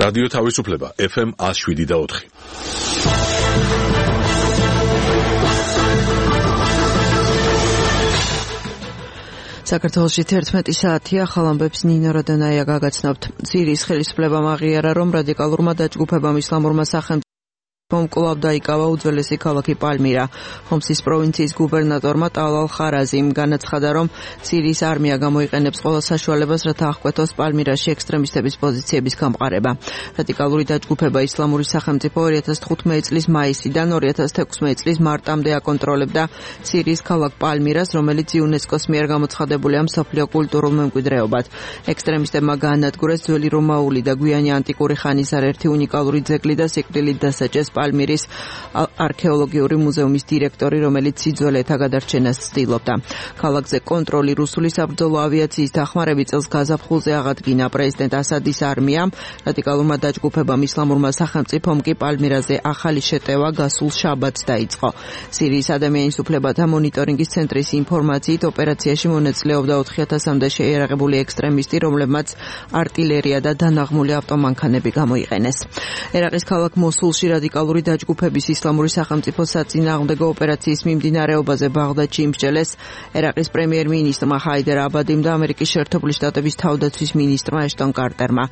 რადიო თავისუფლება FM 107.4. საქართველოში 11 საათია, ხალ ამბებს ნინო როდონაია გაგაცნობთ. სირიის ხელისუფლებამ აღიარა, რომ რადიკალურმა დაჯგუფებამ ისლამურმა სახელმწიფომ კვლავ დაიკავა უძველესი ქალაქი პალმირა. ჰომსის პროვინციის გუბერნატორმა ტალალ ხარაზიმ განაცხადა, რომ სირიის არმია გამოიყენებს ყველა საშუალებას, რათა აღკვეთოს პალმირაში ექსტრემისტების პოზიციების გამყარება. რადიკალური დაჯგუფება ისლამური სახელმწიფო 2015 წლის მაისიდან 2016 წლის მარტამდე აკონტროლებდა სირიის ქალაქ პალმირას, რომელიც იუნესკოს მიერ გამოცხადებულია მსოფლიო კულტურულ მემკვიდრეობად. ექსტრემისტებმა გაანადგურეს ძველი რომაული და გვიანი ანტიკური ხანის არაერთი უნიკალური ძეგლი და სიკვდილით დასაჯეს პალმირის არქეოლოგიური მუზეუმის დირექტორი, რომელიც სიძველეთა გადარჩენას ცდილობდა. ქალაქზე კონტროლი რუსული საბრძოლო ავიაციის დახმარებით წელს გაზაფხულზე აღადგინა. პრეზიდენტ ასადის არმიამ, რადიკალურმა დაჯგუფებამ ისლამურმა სახელმწიფომ კი პალმირაზე ახალი შეტევა გასულ შაბათს დაიწყო. სირიის ადამიანის უფლებათა მონიტორინგის ცენტრის ინფორმაციით, ოპერაციაში მონაწილეობდა 4000-მდე შეიარაღებული ექსტრემისტი, რომლებმაც არტილერია და დანაღმული ავტომანქანები გამოიყენეს. ერაყის ქალაქ მოსულში რადიკალური დაჯგუფების ისლამური სახელმწიფოს საწინააღმდეგო ოპერაციის მიმდინარეობაზე ბაღდადში იმსჯელეს ერაყის პრემიერ-მინისტრმა ჰაიდერ აბადიმ და ამერიკის შეერთებული შტატების თავდაცვის მინისტრმა ეშტონ კარტერმა.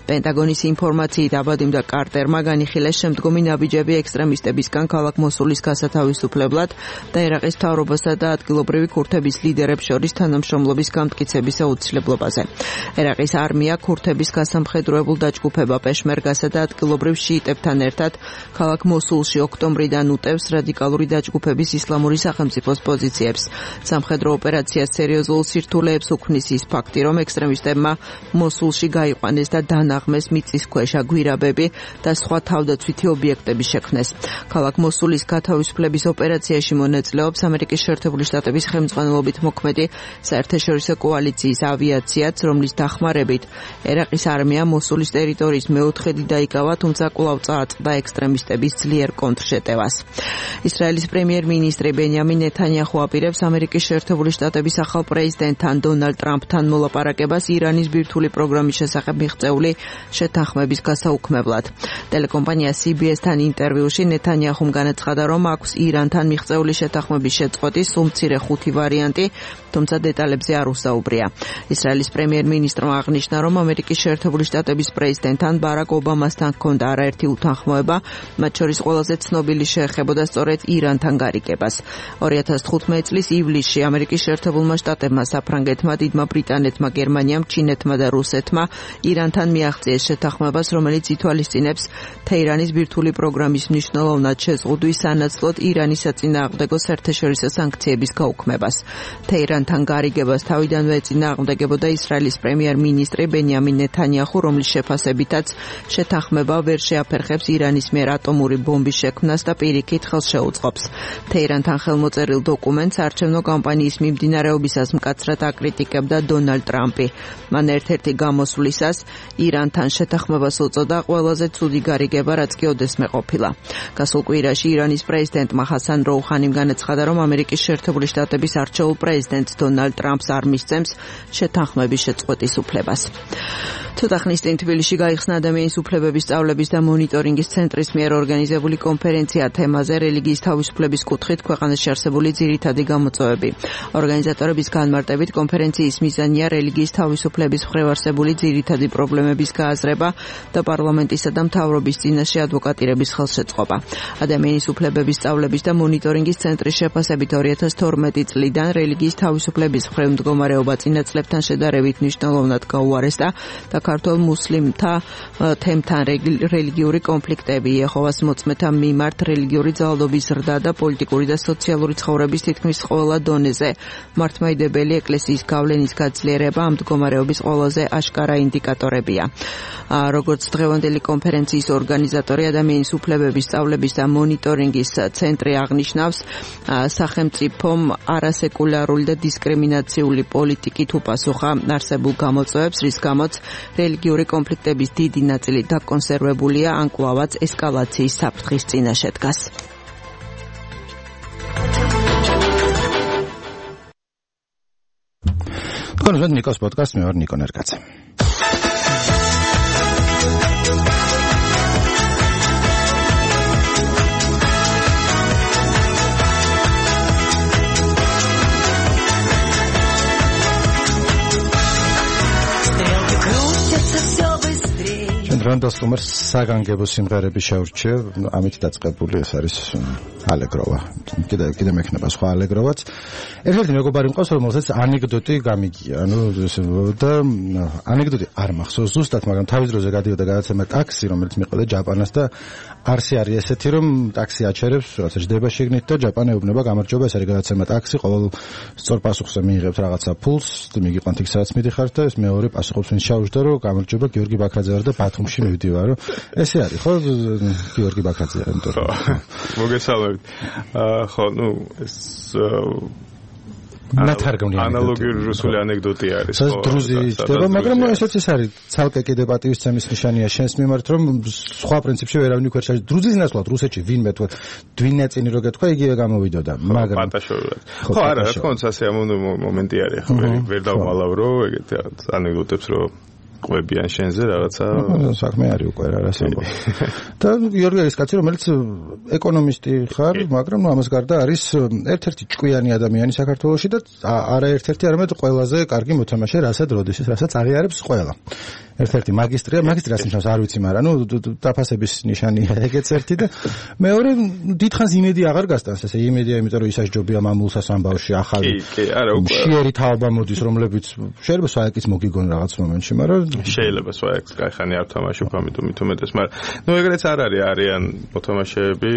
პენტაგონის ინფორმაციით, აბადიმ და კარტერმა განიხილეს შემდგომი ნაბიჯები ექსტრემისტებისგან ქალაქ მოსულის გასათავისუფლებლად და ერაყის მთავრობასა და ადგილობრივი ქურთების ლიდერებს შორის თანამშრომლობის გამტკიცების აუცილებლობაზე. ერაყის არმია ქურთების გასამხედროებულ დაჯგუფება პეშმერგასა და ადგილობრივ შიიტებთან ერთად ქალაქ მოსულში ოქტომბრიდან უტევს რადიკალური დაჯგუფების ისლამური სახელმწიფოს პოზიციებს. სამხედრო ოპერაციას სერიოზულ სირთულეებს უქმნის ის ფაქტი, რომ ექსტრემისტებმა მოსულში გაიყვანეს და დანაღმეს მიწისქვეშა გვირაბები და სხვა თავდაცვითი ობიექტები შექმნეს. ქალაქ მოსულის გათავისუფლების ოპერაციაში მონაწილეობს ამერიკის შეერთებული შტატების ხელმძღვანელობით მოქმედი საერთაშორისო კოალიციის ავიაციაც, რომლის დახმარებით ერაყის არმია მოსულის ტერიტორიის მეოთხედი დაიკავა, თუმცა კვლავ წააწყდა ექსტრემისტების ძლიერ კონტრშეტევას. ისრაელის პრემიერ-მინისტრი ბენიამინ ნეთანიაჰუ აპირებს ამერიკის შეერთებული შტატების ახალ პრეზიდენტთან დონალდ ტრამპთან მოლაპარაკებას ირანის ბირთვული პროგრამის შესახებ მიღწეული შეთანხმების გასაუქმებლად. ტელეკომპანია CBS-თან ინტერვიუში ნეთანიაჰუმ განაცხადა, რომ აქვს ირანთან მიღწეული შეთანხმების შეწყვეტის სულ მცირე 5 ვარიანტი, თუმცა დეტალებზე არ უსაუბრია. ისრაელის პრემიერ-მინისტრმა აღნიშნა, რომ ამერიკის შეერთებული შტატების პრეზიდენტთან ბარაკ ობამასთან ჰქონდა არაერთი უთანხმოება, მათ შორის ყველაზე ცნობილი შეეხებოდა სწორედ ირანთან გარიგებას. 2015 წლის ივლისში ამერიკის შეერთებულმა შტატებმა, საფრანგეთმა, დიდმა ბრიტანეთმა, გერმანიამ, ჩინეთმა და რუსეთმა ირანთან მიაღწიეს შეთანხმებას, რომელიც ითვალისწინებს თეირანის ბირთვული პროგრამის მნიშვნელოვნად შეზღუდვის სანაცვლოდ ირანის საწინააღმდეგო საერთაშორისო სანქციების გაუქმებას. თეირანთან გარიგებას თავიდანვე ეწინააღმდეგებოდა ისრაელის პრემიერ-მინისტრი ბენიამინ ნეთანიაჰუ, რომლის შეფასებითაც შეთანხმება ვერ შეაფერხებს ირანის მიერ ატომური ბომბის შექმნას და პირიქით ხელს შეუწყობს. თეირანთან ხელმოწერილ დოკუმენტს არჩევნო კამპანიის მიმდინარეობისას მკაცრად აკრიტიკებდა დონალდ ტრამპი. მან ერთ-ერთი გამოსვლისას ირანთან შეთანხმებას უწოდა ყველაზე ცუდი გარიგება, რაც კი ოდესმე ყოფილა. გასულ კვირაში ირანის პრეზიდენტმა ჰასან როუჰანიმ განაცხადა, რომ ამერიკის შეერთებული შტატების არჩეულ პრეზიდენტს დონალდ ტრამპს არ მისცემს შეთანხმების შეწყვეტის უფლებას. ცოტა ხნის წინ თბილისში გაიხსნა ადამიანის უფლებების სწავლების და მონიტორინგის ცენტრის მიერ ორგანიზებული კონფერენცია თემაზე რელიგიის თავისუფლების კუთხით ქვეყანაში არსებული ძირითადი გამოწვევები. ორგანიზატორების განმარტებით კონფერენციის მიზანია რელიგიის თავისუფლების მხრივ არსებული ძირითადი პრობლემების გააზრება და პარლამენტისა და მთავრობის წინაშე ადვოკატირების ხელშეწყობა. ადამიანის უფლებების სწავლების და მონიტორინგის ცენტრის შეფასებით 2012 წლიდან რელიგიის თავისუფლების მხრივ მდგომარეობა წინა წლებთან შედარებით მნიშვნელოვნად გაუარესდა და ქართულ მუსლიმთა თემთან რელიგიური კონფლიქტები, იეჰოვას მოწმეთა მიმართ რელიგიური ძალადობის ზრდა და პოლიტიკური და სოციალური ცხოვრების თითქმის ყველა დონეზე მართლმადიდებელი ეკლესიის გავლენის გაძლიერება ამ მდგომარეობის ყველაზე აშკარა ინდიკატორებია. როგორც დღევანდელი კონფერენციის ორგანიზატორი ადამიანის უფლებების სწავლების და მონიტორინგის ცენტრი აღნიშნავს, სახელმწიფომ არასეკულარული და დისკრიმინაციული პოლიტიკით უპასუხა არსებულ გამოწვევებს, რის გამოც რელიგიური კონფლიქტების დიდი ნაწილი დაკონსერვებულია ან კვლავაც ესკალაციის საფრთხის წინაშე დგას. თქვენ უსმენთ ნიკოს პოდკასტს, მე ვარ ნიკო ნერგაძე. რანდალ სტუმარს საგანგებო სიმღერები შეურჩია, ამით დაწყებული ეს არის ალეგროვა. კიდე მექნება სხვა ალეგროვაც. ერთ-ერთი მეგობარი მყავს, რომელსაც ანეკდოტი გამიგია, და ანეკდოტი არ მახსოვს ზუსტად, მაგრამ თავის დროზე გადიოდა გადაცემა ტაქსი, რომელიც მიყვება ჯაპანას და არსი არის ესეთი, რომ ტაქსი აჩერებს, რაღაცა ჯდება შიგნით და ჯაპანი ეუბნება გამარჯობა, ეს არის გადაცემა ტაქსი, ყოველ სწორ პასუხზე მიიღებთ რაღაცა ფულს, მიგიყვანთ იქ სადაც მიდიხართ და ეს მეორე პასუხობს ვინც ჩაუжდა, რომ გამარჯობა გიორგი ბაქრაძე ვარ და ბათუმში მივდივარ, რომ ესე არის, ხო, გიორგი ბაქრაძე, იმიტომ რომ მოგესალმებით. ხო, ეს ანალოგიური რუსული ანეკდოტი არის. ეს დრუზი ხდება, მაგრამ ესეც ის არის, ცალკე კიდე პატივისცემის ნიშანია შენს მიმართ, რომ სხვა პრინციპში ვერავინ იქ ვერ ჩაჯდა. დრუზის ნაცვლად რუსეთში ვინმე თქვა, dwinetini რო გეთქვა, იგივე გამოვიდოდა, მაგრამ პატაშორად. ხო, არა, რა თქმა უნდა, სასიამოვნო მომენტი არის, ხო, ვერ დავმალავრო ეგეთ ანეკდოტებს, რომ ყვებიან შენზე რაღაცა საქმე არის უკვე რა ამბობ. და გიორგი არის კაცი, რომელიც ეკონომისტი ხარ, მაგრამ ამას გარდა არის ერთ-ერთი ჭკვიანი ადამიანი საქართველოში და არა ერთ-ერთი, არამედ ყველაზე კარგი მოთამაშე, რასაც როდის, რასაც აღიარებს ყველა. ერთ-ერთი მაგისტრია, მაგისტრიას ნიშნავს არ ვიცი, მაგრამ დაფასების ნიშანია ეგეც ერთი და მეორე დიდხანს იმედი აღარ გასტანს, ესე იმედია, იმიტომ რომ ისაჯობია მამულსას ამბავში ახალი. კი, არა, უკვე მშიერი თაობა მოდის, რომლებიც შეიძლება სვაეკის მოგიგონ რაღაც მომენტში, მაგრამ შეიძლება სვაეკს კაიხანი არ თამაშობ, ამიტომ მithumetes, მაგრამ ეგრეც არ არის, არიან მოთამაშეები,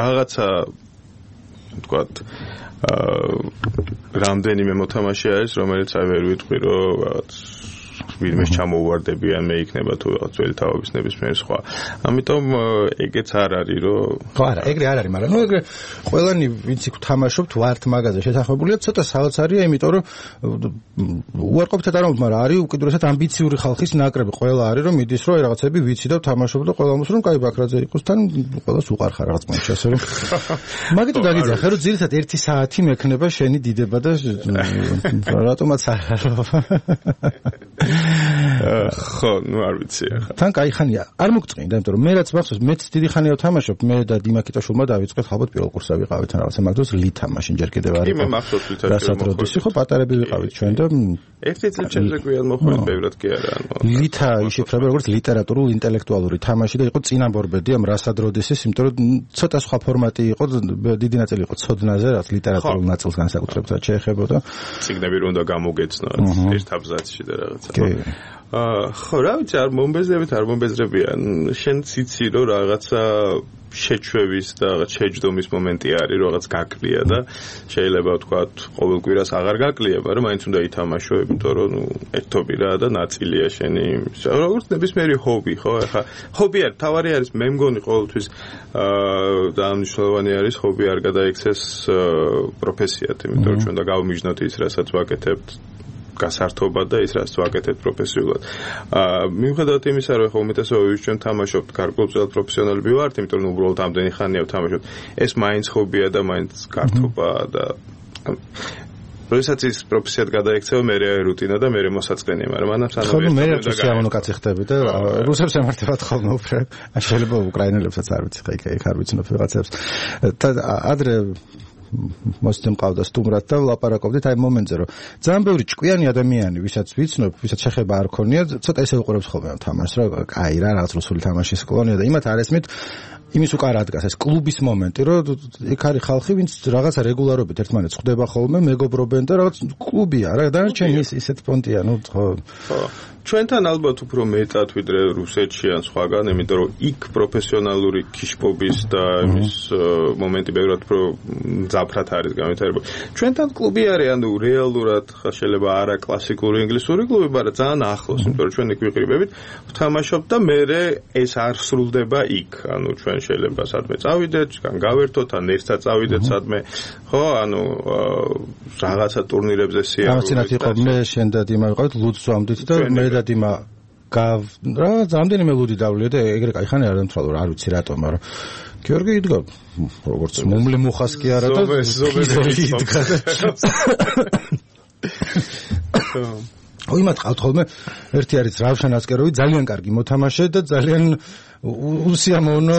რაღაცა ვთქვათ რამდენიმე მოთამაშე არის, რომელიც აი ვერ ვიტყვი, რომ რაღაც ვინმეს ჩამოუვარდებიან, მე იქნება თუ რაღაც ძველი თაობის ნებისმიერ სხვა. ამიტომ ეგეც არ არის, რომ ხო, არა, ეგრე არ არის, მაგრამ ეგრე ყველანი ვინც იქ თამაშობთ ვართ მაგაზე შესაძლებელია ცოტა საოცარია, იმიტომ რომ უარყოფითად არ ამბობ, მაგრამ არის უკიდურესად ამბიციური ხალხის ნაკრები, ყველა არის რომ მიდის რომ რაღაცები ვიცი და ვთამაშობ და ყველა მომს რომ კაი ბაქრაძე იყოს, თან ყველას უყარხარ რაღაც მომენტში, ასე რომ მაგითო დაგიძახე, რომ ძირითადად 1 საათი მექნება შენი დიდება და რატომაც არა. ხო, არ ვიცი ახლა. თან კაი ხანია. არ მოგწყვინდა, იმიტომ რომ მე რაც მახსოვს, მეც დიდი ხანია ვთამაშობ, მე და დიმაკიტაშვილმა დავიწყეთ ალბათ პირველ კურსზე ვიყავით რაღაცა, მაგ დროს ლითა მაშინ ჯერ კიდევ არ იყო. კი, მე მახსოვს ლითა. რასატროდის ხო პატარები ვიყავით ჩვენ და ერთი წელიწადზე გვიან მოხვედით, ბევრად კი არა. ლითა იშიფრება როგორც ლიტერატურულ ინტელექტუალური თამაში და იყო წინამორბედი ამ რასადროდისის, იმიტომ რომ ცოტა სხვა ფორმატი იყო, დიდი ნაწილი იყო ცოდნაზე, რაც ლიტერატურულ ნაწილს განსაკუთრებულად შეეხებოდა. წიგნები რომ უნდა გამოგეცნოთ ერთ აბზაცში და რაღაცა. ხო, რა ვიცი, არ მომბეზრებიან. შენ ციცი რომ რაღაცა შეჩვევის და რაღაც შეჯდომის მომენტი არის, რაღაც გაკლია და შეიძლება ვთქვათ, ყოველ კვირას აღარ გაკლია, მაგრამ მაინც უნდა ითამაშო, იმიტომ რომ ერთობი რა და ნაწილია შენი. როგორც ნებისმიერი ჰობი, ხო? ახლა ჰობი არის, თავარი არის, მე მგონი ყოველთვის დანიშნულოვანი არის ჰობი არ გადაიქცეს პროფესიად, იმიტომ რომ ჩვენ და გავმიჯნოთ ის, რასაც ვაკეთებთ გასართობა და ის რაც ვაკეთებ პროფესიულად. მიუხედავად იმისა, რომ ხომ უმეტესობა ჩვენ თამაშობთ გარკვეულწილად პროფესიონალები ვართ, იმიტომ რომ უბრალოდ ამდენი ხანია ვთამაშობთ. ეს მაინც ჰობია და მაინც გართობაა და როდესაც ის პროფესიად გადაიქცევა, მე რუტინა და მე მოსაწყენია, მაგრამ ამან სანამ მე სიამოვნო კაცი ხდები და რუსებს ემართებათ ხოლმე უფრო. შეიძლება უკრაინელებსაც არ ვიცი, ხა იქ არ ვიცნობ რაღაცებს. და ადრე მოსდე მყავდა სტუმრად და ვლაპარაკობდით აი მომენტზე, რომ ძალიან ბევრი ჭკვიანი ადამიანი, ვისაც ვიცნობ, ვისაც შეხება არ ქონია, ცოტა ესე უყურებს ხოლმე თამაშს, რომ აი რა რაღაც რუსული თამაშის კლონია და იმათ არ ესმით იმის უკან ადგას ეს კლუბის მომენტი, რომ იქ არის ხალხი, ვინც რაღაცა რეგულარობით ერთმანეთს ხვდება ხოლმე, მეგობრობენ და რაღაც კლუბია რა, დანარჩენი ისეთ პონტია, ნუ ხო. ჩვენთან ალბათ უფრო მეტად ვიდრე რუსეთში ან სხვაგან, იმიტომ რომ იქ პროფესიონალური ქიშპობის და იმის მომენტი ბევრად უფრო მძაფრად არის განვითარებული. ჩვენთან კლუბი არის, ანუ რეალურად შეიძლება არა კლასიკური ინგლისური კლუბი, მაგრამ ძალიან ახლოს, იმიტომ რომ ჩვენ იქ ვიყრიბებით, ვთამაშობთ და მე ეს არ სრულდება იქ. ანუ ჩვენ შეიძლება სადმე წავიდეთ, ან გავერთოთ, ან ერთად წავიდეთ სადმე, ხო, ანუ რაღაცა ტურნირებზე სიარული. ამასთანავე იყო მე შენ და დიმა ვიყავით ლუდს ვამდით და მე და დიმა რა რამდენიმე ლუდი დავლია და ეგრე კაი ხანი არ დამთვალო, არ ვიცი რატომ, მაგრამ გიორგი იდგა როგორც მომლე მუხას კი არა და ზობელი იდგა. იმათ ყავთ ხოლმე ერთი არის რავშან ასკეროვი, ძალიან კარგი მოთამაშე და ძალიან უსიამოვნო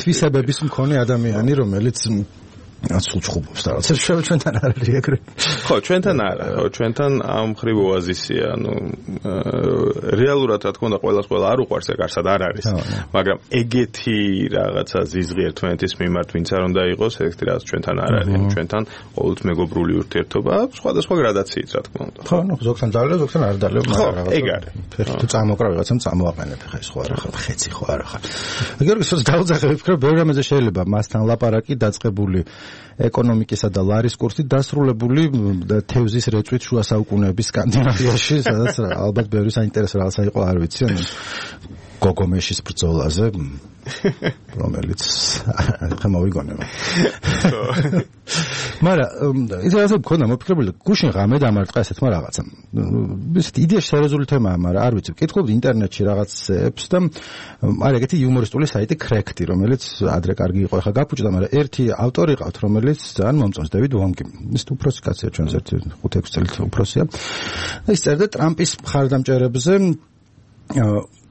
თვისებების მქონე ადამიანი, რომელიც სულ ჩხუბობს და რაღაცა ჩვენთან არ არის ეგრე. ხო, ჩვენთან არა, ხო, ჩვენთან ამ ხრივ ოაზისია, რეალურად რა თქმა უნდა ყველა არ უყვარს ეგ არსად არ არის, მაგრამ ეგეთი რაღაცა ზიზღი ერთმანეთის მიმართ ვინც არ უნდა იყოს, ეგეთი რაღაც ჩვენთან არ არის, ჩვენთან ყოველთვის მეგობრული ურთიერთობა, სხვადასხვა გრადაციით რა თქმა უნდა. ხო, ზოგთან დალევ, ზოგთან არ დალევ, მაგრამ რაღაცა ეგ არის. ფეხი თუ წამოკრა ვიღაცამ წამოაყენებ ხა ეს ხო არა ხარ, ხეცი ხო არა ხარ. გიორგი სულ დაუძახებ ვფიქრობ, ბევრი რამეზე შეიძლება მასთან ლაპარაკი დაწყებული ეკონომიკისა და ლარის კურსით დასრულებული თევზის რეწვით შუა საუკუნეების სკანდინავიაში, სადაც ალბათ ბევრი საინტერესო რაღაცა იყო, არ ვიცი, გოგომეშის ბრძოლაზე, რომელიც ხა მოვიგონება. მაგრამ ის რაღაცა მქონდა მოფიქრებული, გუშინ ღამე დამარტყა ესეთმა რაღაცამ. ისეთ იდეაში სერიოზული თემაა, მაგრამ არ ვიცი, ვკითხულობდი ინტერნეტში რაღაცებს და არ ეგეთი იუმორისტული საიტი Cracked, რომელიც ადრე კარგი იყო, ხა გაფუჭდა, მაგრამ ერთი ავტორი ყავთ, რომელიც ძალიან მომწონს, დევიდ ვონგი. ის უფროსი კაცია, ჩვენს ერთი 5-6 წელით უფროსია. ის წერდა ტრამპის მხარდამჭერებზე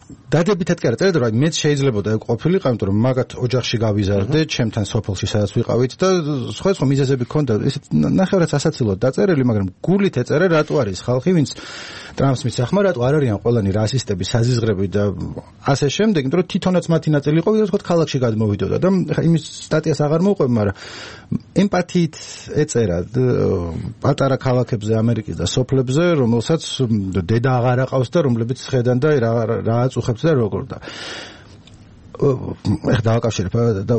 დადებითად კი არა წერდა, რომ მეც შეიძლებოდა ეგ ყოფილიყო, იმიტომ რომ მაგათ ოჯახში გავიზარდე, ჩემთან სოფელში სადაც ვიყავით და სხვა მიზეზები ჰქონდა, ესეთ ნახევრად ასაცილოდ დაწერილი, მაგრამ გულით ეწერა რატო არის ხალხი, ვინც ტრამპს მისახმა, რატო არ არიან ყველანი რასისტები, საზიზღრები და ასე შემდეგ, იმიტომ რომ თვითონაც მათი ნაწილი იყო, ვიდრე თქვა ქალაქში გადმოვიდოდა და ხა იმის სტატიას აღარ მოვყვებ, მაგრამ ემპათიით ეწერა პატარა ქალაქებზე ამერიკის და სოფლებზე, რომელსაც დედა აღარ აყავს და რომლებიც ხედან და რა უხებთ და როგორ და ეხლა დავაკავშირებ და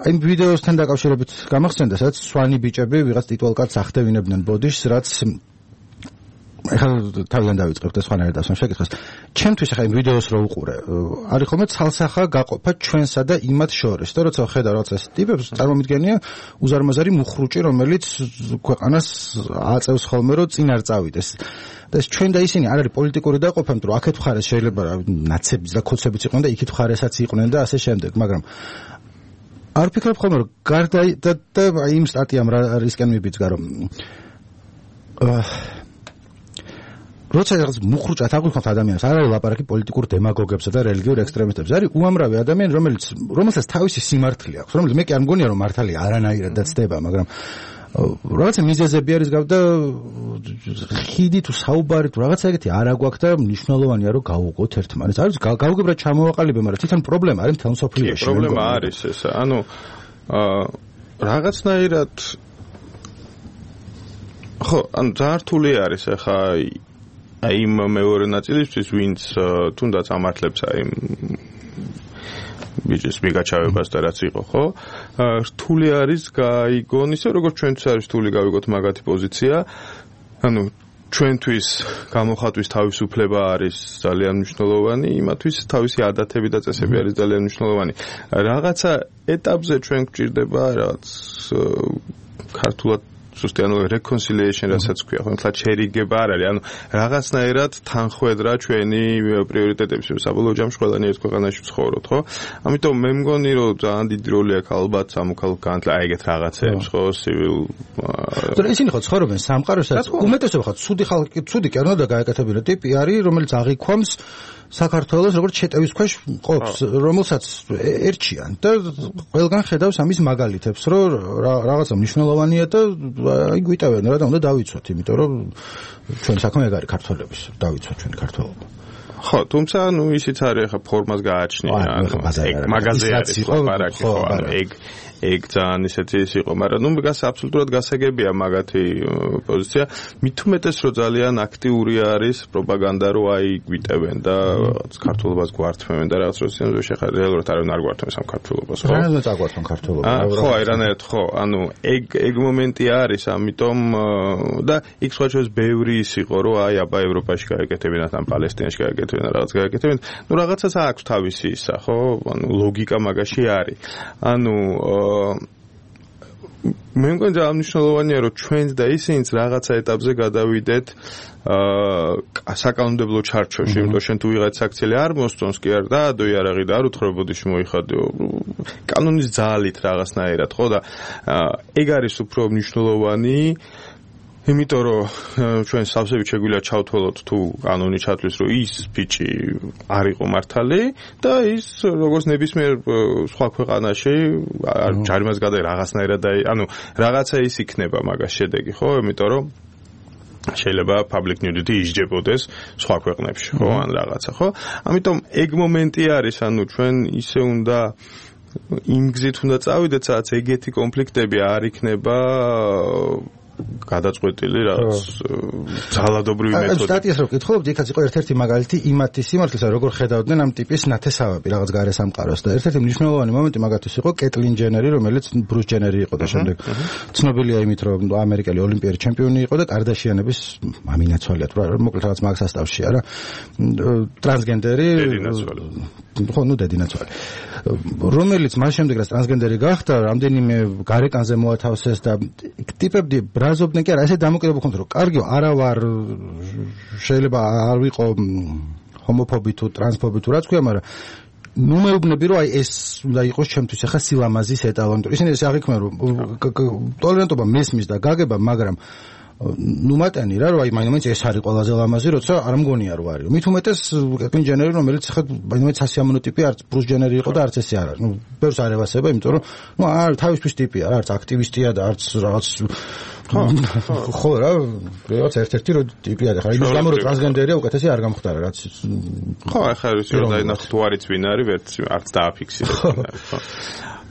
აი ვიდეოსთან დაკავშირებით გამახსენდა, სადაც სვანი ბიჭები ვიღაც ტიტულკარდს ახდევინებდნენ ბოდიშს, რაც ეხლა თავიდან დავიწყებ და სხვანაირად ასვენ შეკითხეს. ჩემთვის ეხლა იმ ვიდეოს რო უყურე, არის ხოლმე ცალსახა გაყოფა ჩვენსა და იმათ შორის. და როცა ხედა რაღაცა ტიპებს, წარმომიდგენია უზარმაზარი მუხრუჭი, რომელიც ქვეყანას აწევს ხოლმე რომ წინ არ წავიდეს. და ეს ჩვენ და ისინი არ არის პოლიტიკური დაყოფა, იმიტომ რომ აქეთ მხარეს შეიძლება ნაცებიც და ქოცებიც იყვნენ და იქით მხარესაც იყვნენ და ასე შემდეგ, მაგრამ არ ვფიქრობ ხოლმე რომ გარდა და იმ სტატიამ რისკენ მიბიძგა რომ როცა რაღაც მუხრუჭად აღვიხოთ ადამიანს, არ არის ლაპარაკი პოლიტიკურ დემაგოგებსა და რელიგიურ ექსტრემისტებს, არის უამრავი ადამიანი, რომელსაც თავისი სიმართლე აქვს, რომელიც მე კი არ მგონია რომ მართალია არანაირად დაცდება, მაგრამ რაღაცა მიზეზები არის გავდა ხიდი თუ საუბარი თუ რაღაცა ეგეთი არ აგვაქვს და მნიშვნელოვანია რომ გავუყოთ ერთმანეთს. არის გავუგებრად ჩამოვაყალიბე, მაგრამ თვითონ პრობლემა არის მთელ მსოფლიოში. პრობლემა არის ეს. ანუ რაღაცნაირად ხო, ანუ ძალიან რთული არის ახლა აი იმ მეორე ნაწილისთვის, ვინც თუნდაც ამართლებს აი ბიჭის მიგაჩავებას და რაც იყო, ხო? რთული არის გაიგონ ისე, როგორც ჩვენთვის არის რთული გავიგოთ მაგათი პოზიცია. ანუ ჩვენთვის გამოხატვის თავისუფლება არის ძალიან მნიშვნელოვანი, იმათვის თავისი ადათები და წესები არის ძალიან მნიშვნელოვანი. რაღაცა ეტაპზე ჩვენ გვჭირდება რაღაც ქართულად ზუსტი ანუ reconciliation რასაც ქვია, ხო, თლა შერიგება არ არის, ანუ რაღაცნაირად თანხვედრა ჩვენი პრიორიტეტების, საბოლოო ჯამში ყველანი ერთ ქვეყანაში ვცხოვრობთ, ხო? ამიტომ მე მგონი, რომ ძალიან დიდი როლი აქვს ალბათ სამოქალაქო განათლება, აი ეგეთ რაღაცებს, ხო, civil. ზოგადად ისინი ხო ცხოვრობენ სამყაროსაც, უმეტესობა ხო ცუდი ხალხი, ცუდი კი არ უნდა გაეკეთებინა ტიპი არის, რომელიც აღიქვამს საქართველოს როგორც შეტევის ქვეშ ყოფს, რომელსაც ერჩიან და ყველგან ხედავს ამის მაგალითებს, რომ რაღაცა მნიშვნელოვანია და აი გვიტევენ რა და უნდა დავიცვათ, იმიტომ რომ ჩვენ საქმე ეგ არის ქართველების, დავიცვათ ჩვენი ქართველობა. ხო, თუმცა ნუ ისიც არის ახლა ფორმას გააჩნია, ანუ მაგაზე არის ლაპარაკი, ხო, ანუ ეგ ძალიან ისეთი ის იყო, მაგრამ ნუ აბსოლუტურად გასაგებია მაგათი პოზიცია. მით უმეტეს რომ ძალიან აქტიური არის პროპაგანდა, რომ აი გვიტევენ და ქართულობას გვართმევენ და რაღაც როსიანზე შეხარ რეალურად არავინ არ გვართმევს ამ ქართულობას, ხო? რანაირად აგვართმევენ ქართულობას? ხო, აი რანაირად ხო, ანუ ეგ მომენტი არის, ამიტომ და იქ სხვა ჩვენს ბევრი ის იყო, რომ აი აბა ევროპაში გაეკეთებინათ, ამ პალესტინაში გაეკეთებინათ, რაღაც გაეკეთებინათ. ნუ რაღაცას აქვს თავისი ისა, ხო? ანუ ლოგიკა მაგაში არის. ანუ მე მგონი ძალიან მნიშვნელოვანია რომ ჩვენც და ისინიც რაღაცა ეტაპზე გადავიდეთ საკანონმდებლო ჩარჩოში, იმიტომ შენ თუ ვიღაც აქციელი არ მოსწონს კი არ დაადო იარაღი და არ უთხრობოდიში მოიხადო კანონის ძალით რაღაცნაირად, ხო და ეგ არის უფრო მნიშვნელოვანი იმიტომ რომ ჩვენ სავსებით შეგვიძლია ჩავთვალოთ თუ კანონი ჩათვლის რომ ის ბიჭი არ იყო მართალი და ის როგორც ნებისმიერ სხვა ქვეყანაში ჯარიმას გადაიღო რაღაცნაირად ანუ რაღაცა ის იქნება მაგას შედეგი ხო იმიტომ რომ შეიძლება public nudity ისჯებოდეს სხვა ქვეყნებში ხო ან რაღაცა ხო ამიტომ ეგ მომენტი არის ანუ ჩვენ ისე უნდა იმ გზით უნდა წავიდეთ სადაც ეგეთი კონფლიქტები არ იქნება გადაწყვეტილი რაღაც ძალადობრივი მეთოდი. სტატიას რო კითხულობთ, იქაც იყო ერთ-ერთი მაგალითი იმათი სიმართლისა, როგორ ხედავდნენ ამ ტიპის ნათესავები რაღაც გარე სამყაროს და ერთ-ერთი მნიშვნელოვანი მომენტი მაგათთვის იყო კეტლინ ჯენერი, რომელიც ბრუს ჯენერი იყო და შემდეგ ცნობილია იმით, რომ ამერიკელი ოლიმპიური ჩემპიონი იყო და კარდაშიანების მამინაცვალია თუ რა, მოკლედ რაღაც მაგ სასტავში არა, ტრანსგენდერი, ხო, ნუ დედინაცვალი. რომელიც მას შემდეგ რაც ტრანსგენდერი გახდა, რამდენიმე გარეკანზე მოათავსეს და ტიპები ბრაზობდნენ კი არა, ესე დამოკიდებული ხონდ რომ კარგი არა ვარ შეიძლება არ ვიყო ჰომოფობი თუ ტრანსფობი თუ რაც ქვია, მაგრამ ნუ მეუბნები რომ აი ეს უნდა იყოს ჩემთვის ახლა სილამაზის ეტალონი. ისინი ესე აღიქმნა რომ ტოლერანტობა მესმის და გაგება, მაგრამ ნუ მატანი რა რომ აი მაინც ეს არის ყველაზე ლამაზი, როცა არ მგონია რომ არის. მით უმეტეს კეტლინ ჯენერი, რომელიც ახლა მაინც სასიამოვნო ტიპი არც ბრუს ჯენერი იყო და არც ესე არ არის. ნუ ბევრს არ ევასება, იმიტომ რომ ნუ არ თავისთვის ტიპია რა, არც აქტივისტია და არც რაღაც ხო რა, რაღაც ერთ-ერთი რო ტიპია და ხა იმის გამო რომ ტრანსგენდერია უკეთესი არ გამختاره რაც ხო ახლა ის რომ დაინახოთ თუ არის ვინ არის ვერც არც დააფიქსირეთ ხო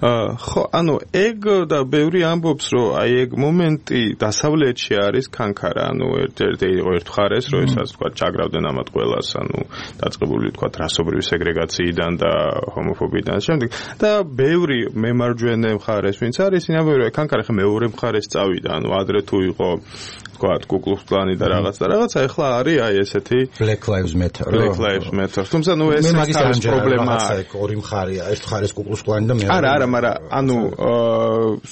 ხო ანუ ეგ და ბევრი ამბობს რომ აი ეგ მომენტი დასავლეთში არის კანკარა ანუ ერთ-ერთი იყო ერთ ხარეს რომ ესაც თქვა ჩაგრავდნენ ამათ ყველას ანუ დაწყებული თქვა რასობრივი სეგრეგაციიდან და ჰომოფობიიდან შემდეგ და ბევრი მემარჯვენე მხარეს ვინც არის ისინი ამბობენ რომ კანკარა ხა მეორე მხარეს წავიდა ანუ ადრე თუ იყო თქვა კუკლუქს კლანი და რაღაცა ეხლა არის აი ესეთი Black Lives Matter თუმცა ნუ ეს არის პრობლემა ორი მხარეა ერთ მხარეს კუკლუქს კლანი და მეორე არა მაგრამ ანუ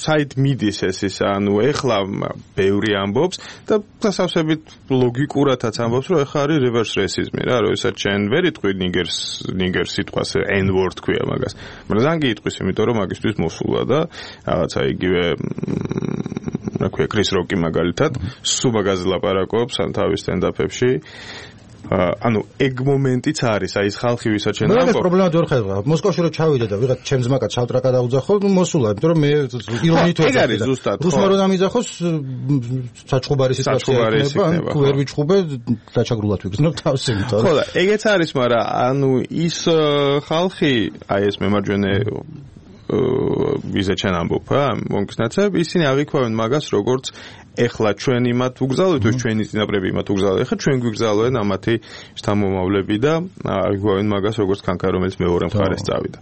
საით მიდის ეს ის ანუ ეხლა ბევრი ამბობს და დასავსებით ლოგიკურადაც ამბობს რომ ეხლა არის reverse racism რა რომ ესაც ჩვენ ვერ იტყვი ნიგერს სიტყვას n-word ქვია მაგას მაგრამ ზანგი იტყვის იმიტომ რომ მაგისთვის მოსულა და რაღაცა იგივე რა ქვია კრის როკი მაგალითად სულ მაგაზე ლაპარაკობს ან თავის სტენდაპებში ანუ ეგ მომენტიც არის აი ეს ხალხი ვისაც ჩვენ ამბობ. ეს პრობლემა ვერ ხედავ. მოსკოვში რო ჩავიდა და ვიღაც ჩემს მაკაც ჩავტრაკა დაუძახო, ნუ მოსულა, იმიტომ რომ მე ირონიით ვეძახი. ეგ არის ზუსტად. რუსმა რო დამიძახოს საჩხუბარი სიტუაცია იქნება, ვერ ვიჩხუბე დაჩაგრულად ვიგრძნობ თავს იმიტომ. ხო და ეგეც არის, მაგრამ ანუ ის ხალხი აი ეს მემარჯვენე ვიზა ჩვენ ამბობ, მომქნაცებ, ისინი აღიქვამენ მაგას როგორც ეხლა ჩვენ იმათ უგზავნით, თუ ჩვენი წინაპრები იმათ უგზავნით, ეხლა ჩვენ გვიგზავნენ ამათი შთამომავლები და აღიქვამენ მაგას როგორც კანკა, რომელიც მეორე მხარეს წავიდა.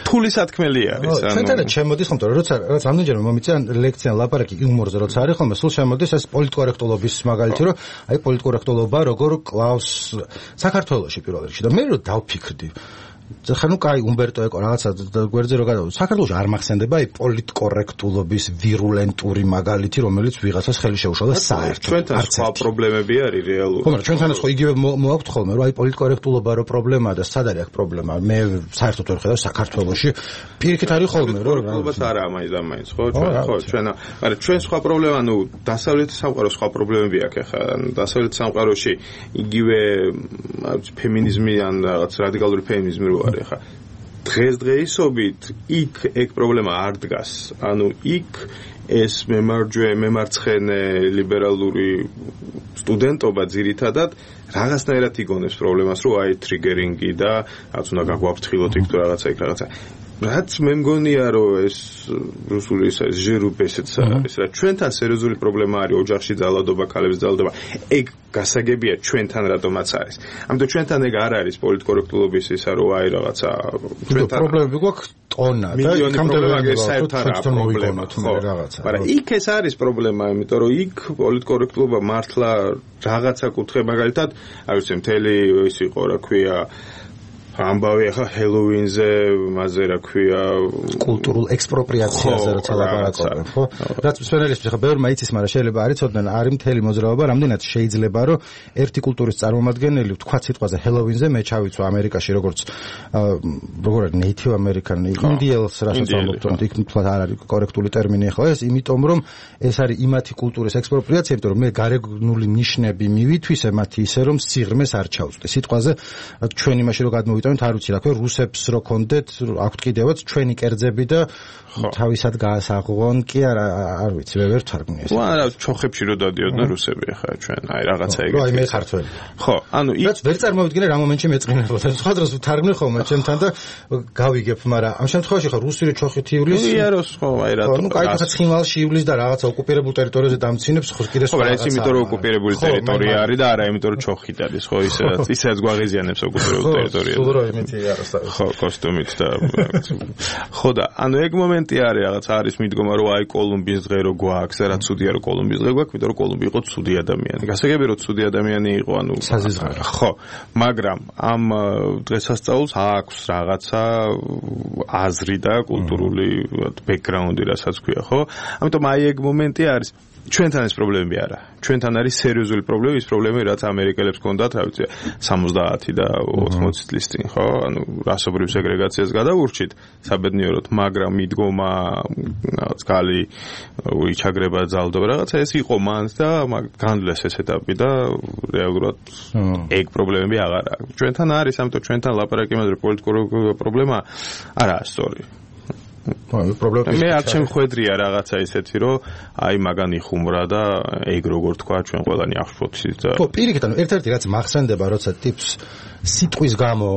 ფული სათქმელი არის, ანუ ჩვენთანაც შემოდის ხომ, როცა რაც ამდენჯერმე მომიწია ლექცია ლაპარაკი იუმორზე როცა არის ხოლმე, სულ შემოდის ეს პოლიტკორექტულობის მაგალითი, რომ აი პოლიტკორექტულობა როგორ კლავს საქართველოში პირველ რიგში და მე რო დავფიქრდი ხა ნუ კაი უმბერტო ეკო რაღაცა გვერდზე რო გადავ საქართველოში არ მახსენდება აი პოლიტკორექტულობის ვირულენტური მაგალითი რომელიც ვიღაცას ხელი შეუშალდა საერთოდ ჩვენთან სხვა პრობლემები არის რეალურად ხო მაგრამ ჩვენთანაც ხო იგივე მოაქვთ ხოლმე რომ აი პოლიტკორექტულობა რო პრობლემაა და სად არის აქ პრობლემა მე საერთოდ ვერ ხედავ საქართველოში პირიქით არის ხოლმე რომ პოლიტკორექტულობას არა მაინც ხო ჩვენ მაგრამ ჩვენ სხვა პრობლემა ნუ დასავლეთის სამყაროს სხვა პრობლემები აქვს ახლა დასავლეთის სამყაროში იგივე ფემინიზმი ან რაღაც რადიკალური ფემინიზმი არის ხა დღესდღეობით იქ ეგ პრობლემა არ დგას ანუ იქ ეს მემარცხენე ლიბერალური სტუდენტობა ძირითადად რაღაცნაირად იგონებს პრობლემას რომ აი ტრიგერინგი და რაც უნდა გაგვაფრთხილოთ იქ თუ რაღაცა იქ რაღაცა რაც მე მგონია რომ ეს რუსული ეს ჟერუბესეც არის რა ჩვენთან სერიოზული პრობლემა არის ოჯახში ძალადობა ქალების ძალადობა ეგ გასაგებია ჩვენთან რატომაც არის ამიტომ ჩვენთან ეგ არ არის პოლიტკორექტულობის ისა რომ აი რაღაცა ჩვენთან პრობლემები გვაქვს ტონა და იქამდე საერთოდ არა პრობლემა რაღაცა მაგრამ იქ ეს არის პრობლემა იმიტომ რომ იქ პოლიტკორექტულობა მართლა რაღაცა კუთხე მაგალითად აი ვიცი მთელი ის იყო რა ქვია ამბავი ახლა ჰელოვინზე, მასზე რა ქვია, კულტურულ ექსპროპრიაციაზე როცა ლაპარაკობენ, ხო? რაც მსვენელისთვის ახლა ბევრი მაიცის, მაგრამ შეიძლება არ იცოდნენ, არის მთელი მოძრაობა, რამდენად შეიძლება რომ ერთი კულტურის წარმომადგენელი ვთქვათ სიტყვაზე ჰელოვინზე მე ჩავიცვა ამერიკაში როგორც Native American Indians რასაც ამბობთ, იქ თვითონ არ არის კორექტული ტერმინი ახლა ეს, იმიტომ რომ ეს არის იმათი კულტურის ექსპროპრიაცია, იმიტომ რომ მე გარეგნული ნიშნები მივითვისე მათი ისე რომ სიღრმეს არ ჩავწვდე. სიტყვაზე ჩვენ იმაში რომ გადმოვიტანოთ, არ ვიცი რა ქვია, რუსებს რო კონდეთ, აქვთ კიდევაც ჩვენი კერძები და თავისად გაასაღონ კი არ ვიცი, ვერ თარგმნი ეს. არა, ჩოხებში რო დადიოდნენ რუსები ახლა ჩვენ, აი რაღაცა ეგეთი. აი მე ხართველი. ხო, ანუ იქ ვერ წარმოვიდგინე რა მომენტში მეწყინებოდა. სხვა დროს ვთარგმნი ხოლმე ჩემთან და გავიგებ, მაგრამ ამ შემთხვევაში ხა რუსული ჩოხით ივლის. იაროს ხო, აი რატო. ნუ კაი ხა ცხინვალში ივლის და რაღაცა ოკუპირებულ ტერიტორიაზე დამცინებს, ხო კიდე სხვა. ხო, ეს იმიტომ რომ ოკუპირებული ტერიტორია არის და არა იმიტომ რომ ჩოხით არის, ხო, ისედაც გვაღიზიანებს ოკუპირებულ ტერიტორიაზე. სულ რო იმითი არის. ხო, კოსტუმით და ხო და ანუ ეგ მომენტი არის რაღაც არის მიდგომა რომ აი კოლუმბიის დღე რო გვაქვს და რა ცუდია რომ კოლუმბიის დღე გვაქვს, იმიტომ რომ კოლუმბია იყო ცუდი ადამიანი. გასაგები რომ ცუდი ადამიანი იყო, ანუ საზიზღარო. ხო, მაგრამ ამ დღესასწაულს აქვს რაღაცა აზრი და კულტურული ბექგრაუნდი, რასაც ქვია, ხო? ამიტომ აი ეგ მომენტი არის. ჩვენთან ეს პრობლემები არა. ჩვენთან არის სერიოზული პრობლემა, ის პრობლემები რაც ამერიკელებს ჰქონდათ, რა ვიცი, 70 და 80 წლის წინ, ხო? ანუ რასობრივ სეგრეგაციას გადაურჩით საბედნიეროდ, მაგრამ მიდგომა რაღაც გალი იჩაგრება, ძალდობა, რაღაცა ეს იყო მანს და განვლეს ეს ეტაპი და რეალურად ეგ პრობლემები აღარ აქვს. ჩვენთან არის, ამიტომ ჩვენთან ლაპარაკი იმაზე პოლიტიკური პრობლემა არაა სწორი. მე არ შემხედრია რაღაცა ისეთი, რომ აი მაგანი ხუმრა და ეგ როგორ თქვა ჩვენ ყველანი ახშფოთს და ხო, პირიქით, ანუ ერთ-ერთი რაც მახსენდება, როცა ტიპს სიტყვის გამო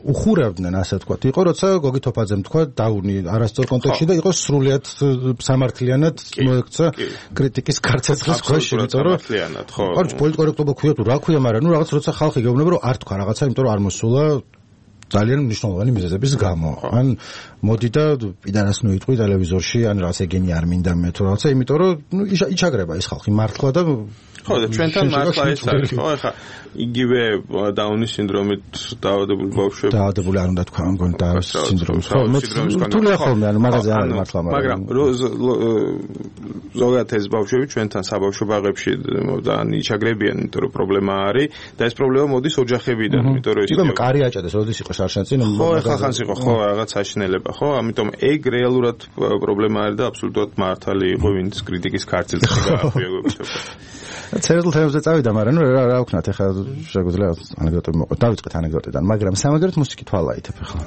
უხურავდნენ, ასე ვთქვათ, იყო როცა გოგი თოფაძემ თქვა დაუნი არასწორ კონტექსტში და იყო სრულიად სამართლიანად მოექცა კრიტიკის კარცეცხლის ქვეშ, იმიტომ რომ ხო. კარგი პოლიტკორექტობა ქვია თუ რა ქვია, მაგრამ ნუ რაღაც როცა ხალხი გეუბნება რომ არ თქვა რაღაცა, იმიტომ რომ არ მოსულა ძალიან მნიშვნელოვანი მიზეზების გამო. ან მოდი და პიდანას ნუიტყვი ტელევიზორში, ან რაღაც ეგენი არ მინდა მე თუ რაღაცა, იმიტომ რომ ნუ იჩაგრება ის ხალხი მართლა და ხო და ჩვენთან მართლა ეს არის, ხო, ახლა იგივე დაუნის სინდრომით დაავადებული ბავშვები. დაავადებული არ უნდა თქვა, მგონი დაუნის სინდრომით. ხო, რთულია ხოლმე, ანუ მაგაზე არის მართლა, მაგრამ ზოგადად ეს ბავშვები ჩვენთან საბავშვო ბაღებში და იჩაგრებიან, იმიტომ რომ პრობლემა არის და ეს პრობლემა მოდის ოჯახებიდან, იმიტომ რომ ის კარი აჭადეს, როდის იყო შარშანწინ, ხო, ახლა ხანს იყო, ხო, რაღაც საშინელება, ხო, ამიტომ ეგ რეალურად პრობლემა არის და აბსოლუტურად მართალი იყო, ვინც კრიტიკის ქართლზე გაახვიებდა. ცერულ თემებზე წავიდა, მაგრამ ნუ რა ვქნათ, ახლა შეგვიძლია ანეკდოტები მოყვეთ. დავიწყეთ ანეკდოტიდან, მაგრამ სამაგერად მუსიკით ვალაითებ ახლა.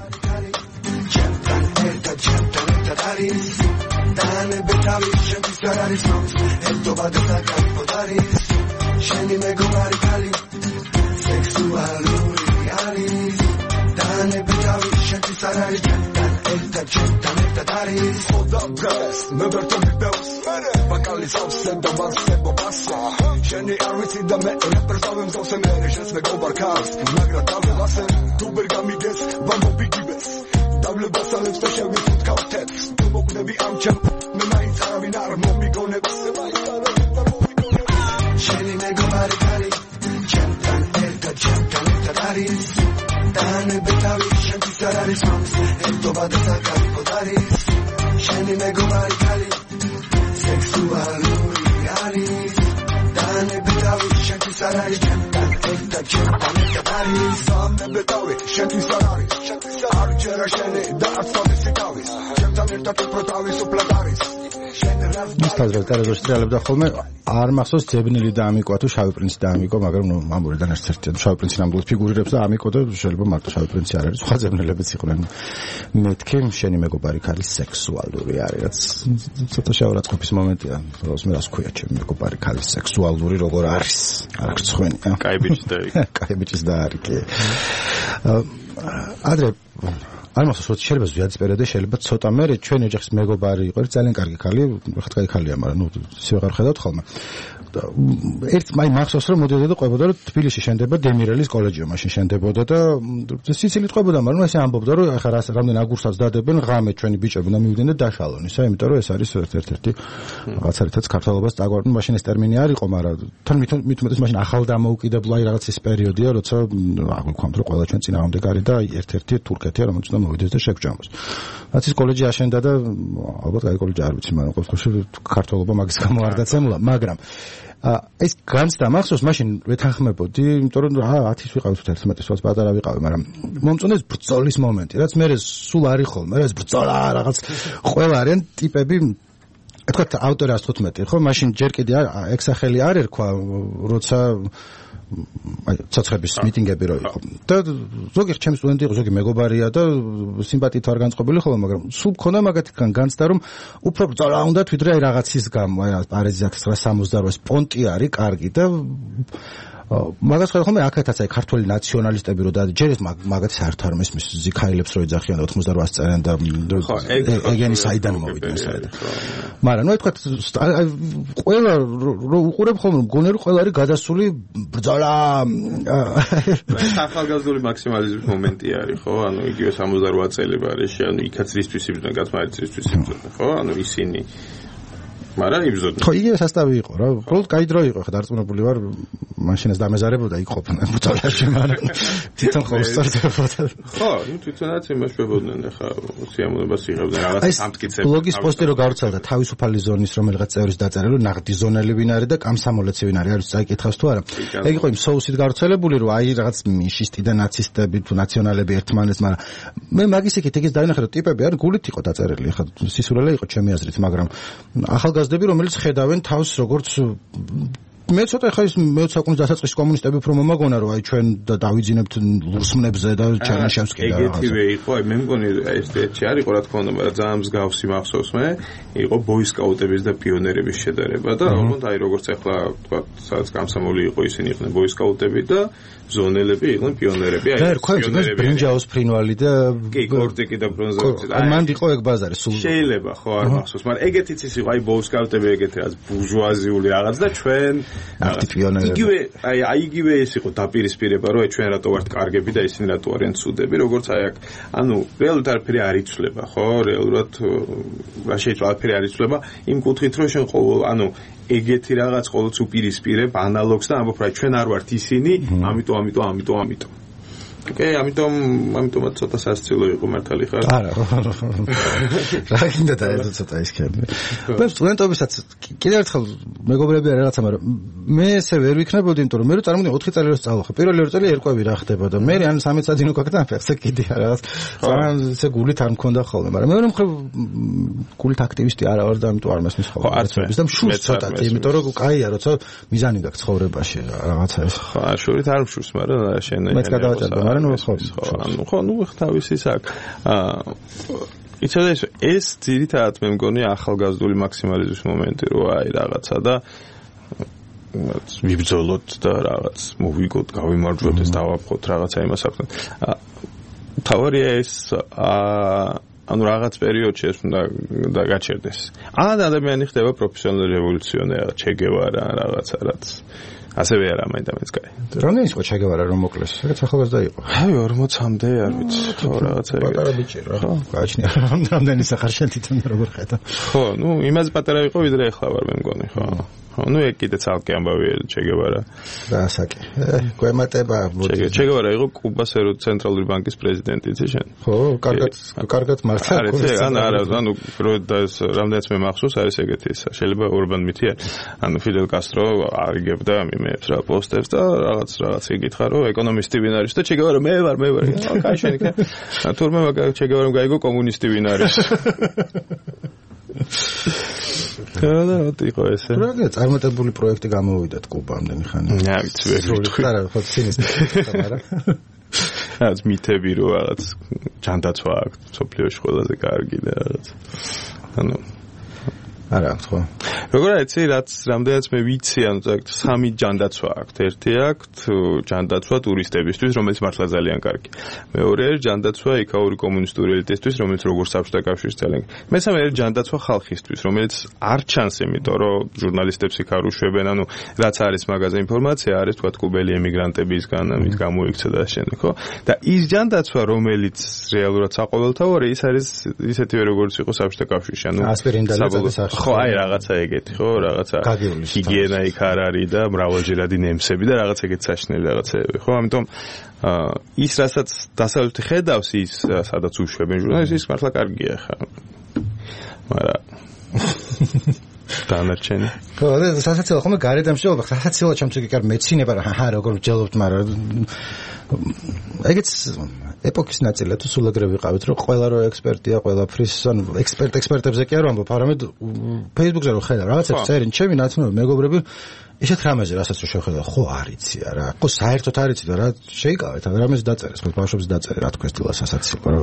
Bakalis aufsen da was sebo passa Sheni arviti da me represavem zose mere Shes me go barkars Nagra tavle lasen Tu bergamiges Bambo bigibes Tavle basalem sta shevi fut kautets Tu moknevi amchem Me main taravin armo mi gone Se main taravin armo mi gone Sheni me go barikali Chemtan erta daris Dane betavi shenti sararis mams Ento badesa kalipo daris Sheni me go barikali Sexualuri aris Dane betavi shenti sararis Chemtan erta daris Dane betavi shenti sararis Arčera sheni da atsavi sikavis Chemtan erta protavis upladaris ის თაზრად ტელევიზორში ტრიალებდა ხოლმე, არ მახსოვს ძებნილი და ამიკვა თუ შავი პრინცი და ამიკვა, მაგრამ ნუ მამურიდან ერთ-ერთი შავი პრინცი ნამდვილად ფიგურირებს და ამიკვა და შეიძლება მარტო შავი პრინცი არ არის, სხვა ძებნილებიც იყვნენ. მეთქი შენი მეგობარი ქალის სექსუალური არის, რაც ცოტა შავარაცხყოფის მომენტია. როს მე რას ქვია ჩემი მეგობარი ქალის სექსუალური როგორ არის? არ გწხვენია. კაი ბიჭი და კაი ბიჭის და არის კი. ადრე არ მახსოვს რომ შეიძლება ზვიადის პერიოდში შეიძლება ცოტა მე ჩვენი ოჯახის მეგობარი იყო ძალიან კარგი ქალი ხა კაი ქალია მაგრამ ნუ ისე ვეღარ ხედავთ ხოლმე ერთ მაი მახსოვს რომ მოდიოდა და ყვებოდა რომ თბილისში შენდება დემირელის კოლეჯი მაშინ შენდებოდა და სიცილით ყვებოდა მაგრამ ესე ამბობდა რომ ახლა რამდენი აგურსაც დადებენ ღამე ჩვენი ბიჭები და მივიდნენ და დაშალონ ისა იმიტომ რომ ეს არის ერთ-ერთი რაღაცა რითაც ქართლობას დაგვარდნ მაშინ ეს ტერმინი არ იყო მაგრამ თან მithumetes მაშინ ახალ დამოუკიდებელ აი რაღაც ის პერიოდია როცა აღვიქვამთ რომ ყველა ჩვენ წინააღმდეგ არის და ერთ-ერთი თურქეთია რომელიც უნდა მოვიდეს და შეგვჭამოს რაც ის კოლეჯი აშენდა და ალბათ აი კოლეჯი არ ვიცი მაგრამ ყოველ შემთხვევაში ქართლობა მაგის გამო არ დაცემულა მაგრამ ეს განცდა მახსოვს მაშინ ვეთანხმებოდი იმიტომ რომ 10-ის ვიყავით 11-ის ვაც პატარა ვიყავი მაგრამ მომწონეს ბრძოლის მომენტი რაც მე სულ არის ხოლმე ეს ბრძოლა რაღაც ყველა არიან ტიპები თქვა ავტორი 115 ხო მაშინ ჯერ კიდე ეგ სახელი არ ერქვა როცა აი ცოცხების მიტინგები რო იყო და ზოგი ჩემი სტუდენტი იყო ზოგი მეგობარია და სიმპათიით არ განწყობილი ხოლმე მაგრამ სულ მქონდა მაგათგან განცდა რომ უფრო ბრძოლა უნდა თვითონ აი რაღაცის გამო აი პარიზის 968 პონტი არის კარგი და მაგას ხოლმე აქეთაც აი ქართველი ნაციონალისტები რო და ჯერ ეს მაგათი საერთოდ არ მესმის ზიქაილებს რო ეძახიან 88 წელიდან და ეგენი საიდან მოვიდნენ საერთოდ მაგრამ ნუ თქვა ყველა რო უყურებ ხოლმე მგონი რომ ყველა არის გადასული ბრძოლა ახალგაზრდული მაქსიმალიზმის მომენტი არის ხო ანუ იგივე 68 წელი არის ანუ იქაც რისთვის იბრძოდნენ გასმარიც რისთვის იბრძოდნენ ხო ანუ ისინი მაგრამ იბრძოდნენ. ხო, იგივე სასტავი იყო რა. უბრალოდ კაი დრო იყო, ხა დარწმუნებული ვარ, მაშინ ეს დამეზარებოდა იქ ყოფნა ბრძოლაში, მაგრამ თვითონ ხო უსწორდებოდა. ხო, ნუ თვითონაც იმაშებოდნენ ხა სიამოვნებას იღებდნენ რაღაც ამტკიცებს. ბლოგის პოსტი რო გავრცელდა თავისუფალი ზონის რომელიღაც წევრის დაწერილი, ნაღდი ზონელი ვინ არის და კამსამოლეცი ვინ არის, არის წაიკითხავს თუ არა. ეგ იყო იმ სოუსით გავრცელებული, რომ აი რაღაც მიშისტი და ნაცისტები თუ ნაციონალები ერთმანეთს, მაგრამ მე მაგის იქით ეგის დაინახე, რომ ტიპები არ გულით იყო დაწერილი, ხა სისულელე იყო ჩემი აზრით, მაგრამ ახალგაზრდები რომელიც ხედავენ თავს როგორც მე ცოტა ხა ის მე-20 საუკუნის დასაწყისში კომუნისტები უფრო მომაგონა რომ აი ჩვენ დავიძინებთ ლურსმნებზე და ჩერნიშევსკი და ეგეთივე იყო აი მე მგონი ეს ერთი არ იყო რა თქმა უნდა მაგრამ ძალიან მსგავსი მახსოვს მე იყო ბოისკაუტების და პიონერების შედარება და ოღონდ აი როგორც ახლა თქვა სადაც გამსამოლი იყო ისინი იყვნენ ბოისკაუტები და ზონელები იყვნენ პიონერები აი პიონერები ბრინჯაოს ფრინვალი და კი კორტიკი და ბრონზოვიცი აი მანდ იყო ეგ ბაზარი სულ შეიძლება ხო არ მახსოვს მაგრამ ეგეთიც ის იყო აი ბოისკაუტები ეგეთი რაღაც ბურჟუაზიული რაღაც და ჩვენ იგივე აი იგივე ეს იყო დაპირისპირება რომ ჩვენ რატო ვართ კარგები და ისინი რატო არიან ცუდები როგორც აი აქ ანუ რეალურად არაფერი არ იცვლება ხო რეალურად რა შეიძლება არაფერი არ იცვლება იმ კუთხით რომ შენ ყოველ ანუ ეგეთი რაღაც ყოველთვის უპირისპირებ ანალოგს და ამბობ რა ჩვენ არ ვართ ისინი ამიტომ ოკეი, ამიტომაც ცოტა სასწავლო იყო მართალი ხარ? არა. რა გინდა და ეს ცოტა ისქები. მე სტუდენტობისაც კიდევ ერთხელ მეგობრები არა რაღაცა, მაგრამ მე ესე ვერ ვიქნებოდი, იმიტომ რომ მე რო წარმოვიდგინე 4 წელი რო სწავლობ. პირველი 2 წელი ერკვევი რა ხდებოდა. მე ან 13 წადინო გაკეთდა ფეხზე კიდე რაღაც. ძალიან ესე გულით არ მქონდა ხოლმე, მაგრამ მეორე მხრივ გულით აქტივისტი არა ვარ და ამიტომ არ მესმის ხოლმე. და მშურს ცოტათი, იმიტომ რომ კაია, როცა მიზანი გაქვს ცხოვრებაში რაღაცა ეს. ხო, შურით არ მშურს, მაგრამ შენ მეც გადავაჭერდა. ხო, ნუ თავისი აქ. იცოდა ეს ძირითადად მე მგონი ახალგაზრდული მაქსიმალიზმის მომენტი რო აი რაღაცა და ვიბრძოლოთ და რაღაც მოვიგოთ, გავიმარჯვოთ, ეს დავაფხოთ რაღაცა იმას აქვს. თავარია ეს ანუ რაღაც პერიოდში ეს უნდა გაჩერდეს. ადამიანი ხდება პროფესიონალი რევოლუციონერი, ჩე გევარა რაღაცა რაც ასევე არა მაინდამაც კაი. რამდენი იყო ჩე გევარა რომ მოკლეს? ეგეც ახალგაზრდა იყო. აი 40-მდე არ ვიცი. ხო რაღაცა ეგ. პატარა ბიჭი რა. გააჩნია რამდენი სახარშენ თვითონ როგორ ხედა. ხო, ნუ იმაზე პატარა იყო ვიდრე ახლა ვარ მე მგონი, ხო. ну ეგ კიდე ცალკე ამბავია ჩე გევარა და ასაკი გვემატება ჩე გევარა იყო კუბას ცენტრალური ბანკის პრეზიდენტი იცი შენ ხო კარგად მართლა არა ანუ რამდენიც მე მახსოვს არის ეგეთი ისა შეიძლება ორბან მითია ანუ ფიდელ კასტრო არიგებდა იმებს რა პოსტებს და რაღაც იგითხა რომ ეკონომისტი ვინ არის და ჩე გევარა მე ვარ კაი შენ იქ თურმე ჩე გევარამ გაიგო კომუნისტი ვინ არის და იყო ესე. რა წარმატებული პროექტი გამოვიდათ კუბამდე ხანი. რა ვიცი ვერ ვიტყვი. არა, ხო ცინისტი არა. რაც მითები რო რაღაც ჯანდაცვა აქვს სოფლიოში ყველაზე კარგი და რაღაც. ანუ არა აქვს ხო? როგორ იცი რაც რამდენიც მე ვიცი, ანუ სამი ჯანდაცვა აქვს. ერთი აქვს ჯანდაცვა ტურისტებისთვის, რომელიც მართლა ძალიან კარგი. მეორე ჯანდაცვა იქაური კომუნისტური ელიტისთვის, რომელიც როგორც საბჭოთა კავშირის ძალიან. მესამე ჯანდაცვა ხალხისთვის, რომელიც არ ჩანს, იმიტომ რომ ჟურნალისტებს იქ არ უშვებენ, ანუ რაც არის მაგაზე ინფორმაცია, არის თქვა კუბელი ემიგრანტებისგან, ამით გამოიქცა და შემდეგ, ხო? და ის ჯანდაცვა, რომელიც რეალურად საყოველთაოა, ის არის ისეთივე როგორც იყო საბჭოთა კავშირში, ანუ ასპირინდალის ხო, აი რაღაცა ეგეთი, ხო, რაღაცა ჰიგიენა იქ არ არის და მრავალჯერადი ნემსები და რაღაც ეგეთი საშინელი რაღაცეები, ხო? ამიტომ ის რასაც დასავლეთი ხედავს, ის სადაც უშვებენ ჟურნალისტებს, ის მართლა კარგია ხა. მაგრამ დანარჩენი. ხო, და სასაცილო ხომ გარედან შეიძლება, სასაცილო ჩემთვის კი კარ მეცინება რა, როგორ ვჯელობთ, მაგრამ ეგეც ეპოქის ნაწილია თუ სულ ეგრე ვიყავით, რომ ყველა რო ექსპერტია, ყველაფრის, ანუ ექსპერტებზე კი არ ვამბობ, არამედ Facebook-ზე რო ხედავ, რაღაცებს წერენ, ჩემი ნაცნობი მეგობრები ისეთ რამეზე, რასაც რო შევხედავ, ხო არიცი არა, ხო საერთოდ არიცი და რა შეიკავეთ, რამეზე დაწერეს, ხო ბავშვებს დაწერე, რა თქვა სტილა სასაცილო, რა.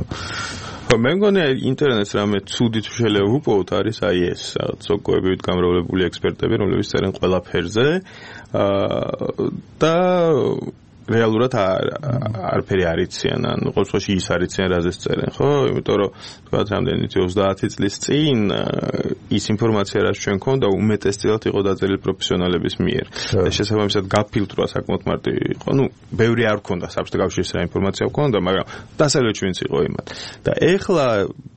ხო, მე მგონია ინტერნეტს რამე ცუდი თუ შეიძლება ვუპოვოთ არის აი ეს, რაღაც სოკოებით გამრავლებული ექსპერტები, რომლებიც წერენ ყველაფერზე და რეალურად არაფერი არიციან, ან ყოველ შემთხვევაში ის არიციან, რაზეც წერენ, ხო? იმიტომ რომ თქვა რამდენი 30 წლის წინ ის ინფორმაცია, რაც ჩვენ გქონდა, უმეტესწილად იყო დაწერილი პროფესიონალების მიერ. და შესაბამისად გაფილტრვა საკმაოდ მარტივი იყო. ნუ, ბევრი არ გქონდა საბჭოთა კავშირის რა ინფორმაცია გქონდა, მაგრამ დასავლეთში ვინც იყო იმათ. და ეხლა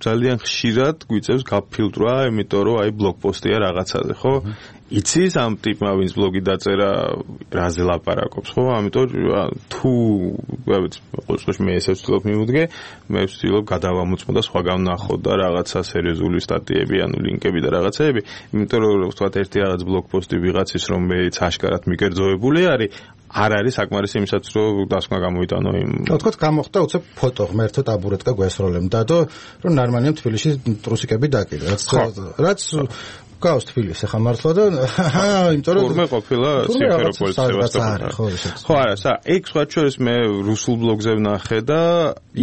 ძალიან ხშირად გვიწევს გაფილტრვა, იმიტომ რომ აი ბლოგპოსტია რაღაცაზე, ხო? იცის ამ ტიპმა ვინც ბლოგი დაწერა რაზე ლაპარაკობს, ხო? ამიტომ თუ ყოველთვის მე ესე ვცდილობ მივუდგე, მე ვცდილობ გადავამოწმო და სხვაგან ვნახო და რაღაცა სერიოზული სტატიები, ანუ ლინკები და რაღაცეები, იმიტომ რომ ვთქვათ ერთი რაღაც ბლოგპოსტი ვიღაცის, რომელიც აშკარად მიკერძოებული არის, არ არის საკმარისი იმისაც, რომ დასკვნა გამოიტანო იმ. თქვათ გამოხდა უცებ ფოტო ღმერთო ტაბურეტკა გვესროლემდა და რომ ნორმალია თბილისში ტრუსიკები დაკიდე, რაც გავს თბილისს ახლა მართლა და იმიტომ რომ თურმე ყოფილა სიმფეროპოლის სევასტოპოლი. ხო, არა, ეგ სხვა შორის მე რუსულ ბლოგზე ვნახე და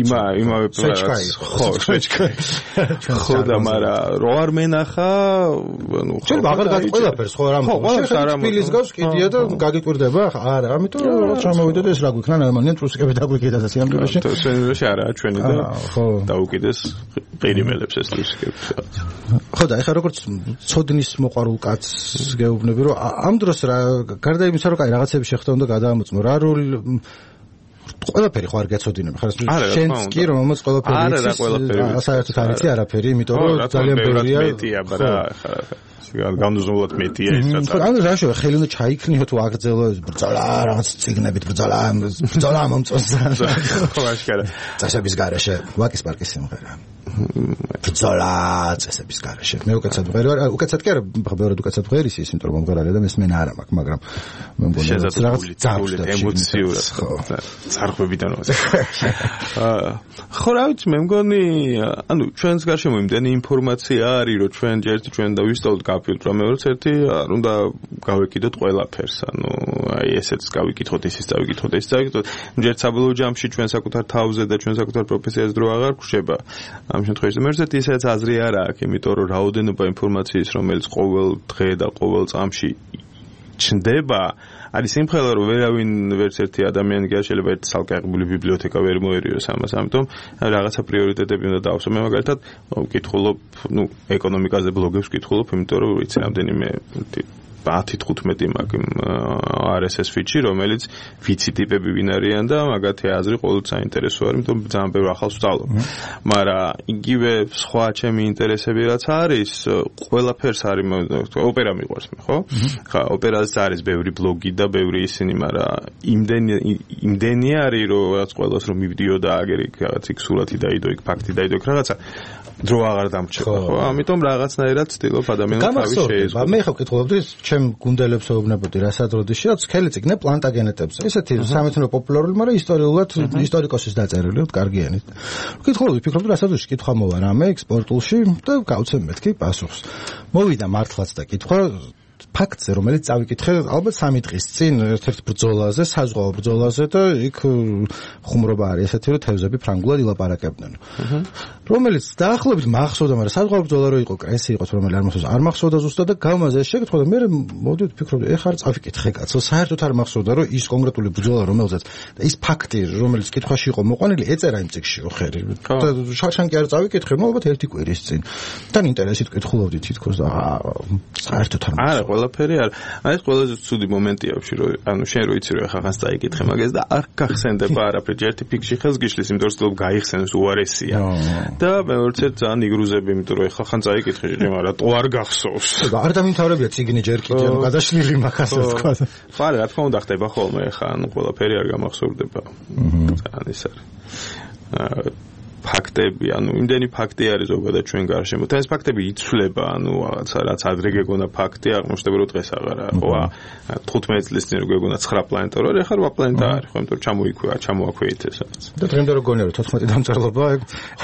იმავე პროცესს. ხო, შეჭკაი. ხო და მაგრამ რო არ მენახა, ანუ ხო. შეიძლება აღარ გაყოლაფერს ხო რამ. ხო, თბილის გავს კიდია და გაგიკვირდება ხა? არა, ამიტომ რა ჩამოვიდეთ ეს რა გვიქნა ნორმალია ტრუსიკები დაგვიკიდა და სიამოვნებაში. სიამოვნებაში არაა ჩვენი და დაუკიდეს ყირიმელებს ეს ტრუსიკები. ხო და ეხლა როგორც ცოდნის მოყარულ კაცს გეუბნები რომ ამ დროს რა გარდა იმისა რომ კაი რაღაცები შეხვდა უნდა გადაამოწმო რა როლი ყველაფერი ხო არ გეცოდინები ხარ შენც კი რომ ამას ყველაფერი იცის საერთოდ არ იცი არაფერი იმიტომ რომ ძალიან ბევრია მეტია ბრა განუზომლად მეტია ის რაც ანუ რა შეიძლება ხელი უნდა ჩაიქნიო თუ აგრძელო ბრძოლა რაღაც ციგნებით ბრძოლა მომწონს ხო აშკარა წესების გარეშე ვაკის პარკის სიმღერა ბრძოლა წესების გარეშე მე უკეთად ვღერი უკეთად კი არა ბევრად უკეთად ვღერი ის იმიტომ რომ მომღერალია და მესმენა არ მაქვს მაგრამ მე მგონია რაღაც ძაღლი ემოციურად ხო წარხვებიდან ხო რა ვიცი მე მგონი ანუ ჩვენს გარშემო იმდენი ინფორმაცია არის რომ ჩვენ და ვისწავლოთ გაფილტრა მეორეც ერთი არ უნდა გავეკიდოთ ყველაფერს ანუ აი ესეც გავიკითხოთ ისიც დავიკითხოთ ეს დავიკითხოთ ჯერ საბოლოო ჯამში ჩვენ საკუთარ თავზე და ჩვენ საკუთარ პროფესიაზე დრო აღარ გვხვდება ამ შემთხვევაში მერცეთ ისეც აზრი არ აქვს იმიტომ რომ რაოდენობა ინფორმაციის რომელიც ყოველ დღე და ყოველ წამში ჩნდება არის იმხელა რომ ვერავინ ვერც ერთი ადამიანი კი არ შეიძლება ერთ სალკეღებული ბიბლიოთეკა ვერ მოერიოს ამას ამიტომ რაღაცა პრიორიტეტები უნდა დავსვო მე მაგალითად ვკითხულობ ნუ ეკონომიკაზე ბლოგებს ვკითხულობ იმიტომ რომ ვიცი რამდენიმე 10-15 მაგ RSS ფიჩი რომელიც ვიცი ტიპები ვინ არიან და მაგათი აზრი ყოველთვის საინტერესო არის იმიტომ ძალიან ბევრ ახალს ვსწავლობ მაგრამ იგივე სხვა ჩემი ინტერესები რაც არის ყველაფერს არის ოპერა მიყვარს მე ხო ხა ოპერაზე არის ბევრი ბლოგი და ბევრი ისინი მაგრამ იმდენი არის რომ რაც ყველას რომ მივიდიო და აგერ იქ რაღაც იქ სურათი დაიდო იქ ფაქტი დაიდო იქ რაღაცა დრო აღარ დამრჩება ხო ამიტომ რაღაცნაირად ცდილობ ადამიანს თავი შეეზღუდო მე ხო ვკითხულობდი ჩემ გუნდელებს ეუბნებოდი რასაც როდეში რაც ხელი წიგნე პლანტაგენეტებზე ესეთი სამეცნიერო პოპულარული მაგრამ ისტორიულად ისტორიკოსის დაწერილი კარგიანი ვკითხულობდი ფიქრობდი რასაც კითხვა მოვა რამე ექსპორტულში და გავცემ მეთქი პასუხს მოვიდა მართლაც და კითხვა ფაქტზე რომელიც წავიკითხე ალბათ 3 დღის წინ ერთ-ერთ ბრძოლაზე საზღვაო ბრძოლაზე და იქ ხუმრობა არის ესეთი რომ თევზები ფრანგულად ილაპარაკებდნენ რომელიც დაახლოებით მახსოვდა, მაგრამ საზღვაო რო იყო, ესე იყოს, რომელიც არ მახსოვდა, არ მახსოვდა ზუსტად და გავმაზე შეკითხა და მე მოდი ვფიქრობდი, ეხლა არ წავიკითხე კაცო, საერთოდ არ მახსოვდა, რომ ის კონკრეტული ბრძოლა, რომელზეც და ის ფაქტი, რომელიც კითხვაში იყო მოყვანილი, ეწერა იმ წიგნში ხერი. და შარშან კი არ წავიკითხე, ნუ ალბათ ერთი კვირის წინ. თან ინტერესით კითხულობდი თითქოს და საერთოდ არ არა, ყველაფერი არ. აი ეს ყველაზე ცუდი მომენტია ვში, რომ ანუ შენ რო იცი რომ ახლა ხანს წაიკითხე მაგას და არ გახსენდება არაფერი, ერთი ფიქში ხელს გიშლის, იმიტომ რომ ცდილობ გაიხსენოს უარესია. და მეორეც ძალიან იგრუზები, იმიტომ რომ ახლა ხან წაიკითხე, მაგრამ რატო არ გახსოვს? არ დამიმთავრებია ციგნი ჯერ კიდე, ანუ გადაშლილი მაგას თქვა. ხო, რა თქმა უნდა ხდება ხოლმე ახლა, ანუ ყველაფერი არ გამახსოვდება. ძალიან ის არის. ფაქტები, ანუ იმდენი ფაქტი არის ზოგადად ჩვენ გარშემო. და ეს ფაქტები იცვლება, ანუ რაღაცა რაც ადრე გეგონა ფაქტი, აღმოჩნდება რომ დღეს აღარა. ხო, 15 წლის წინ რო გეგონა 9 პლანეტა რო არის, ახლა 8 პლანეტა არის, ხო, იმიტომ რომ ჩამოაქვეით ეს რაღაც. და დღემდე რო გონია რომ 14 დამწერლობა,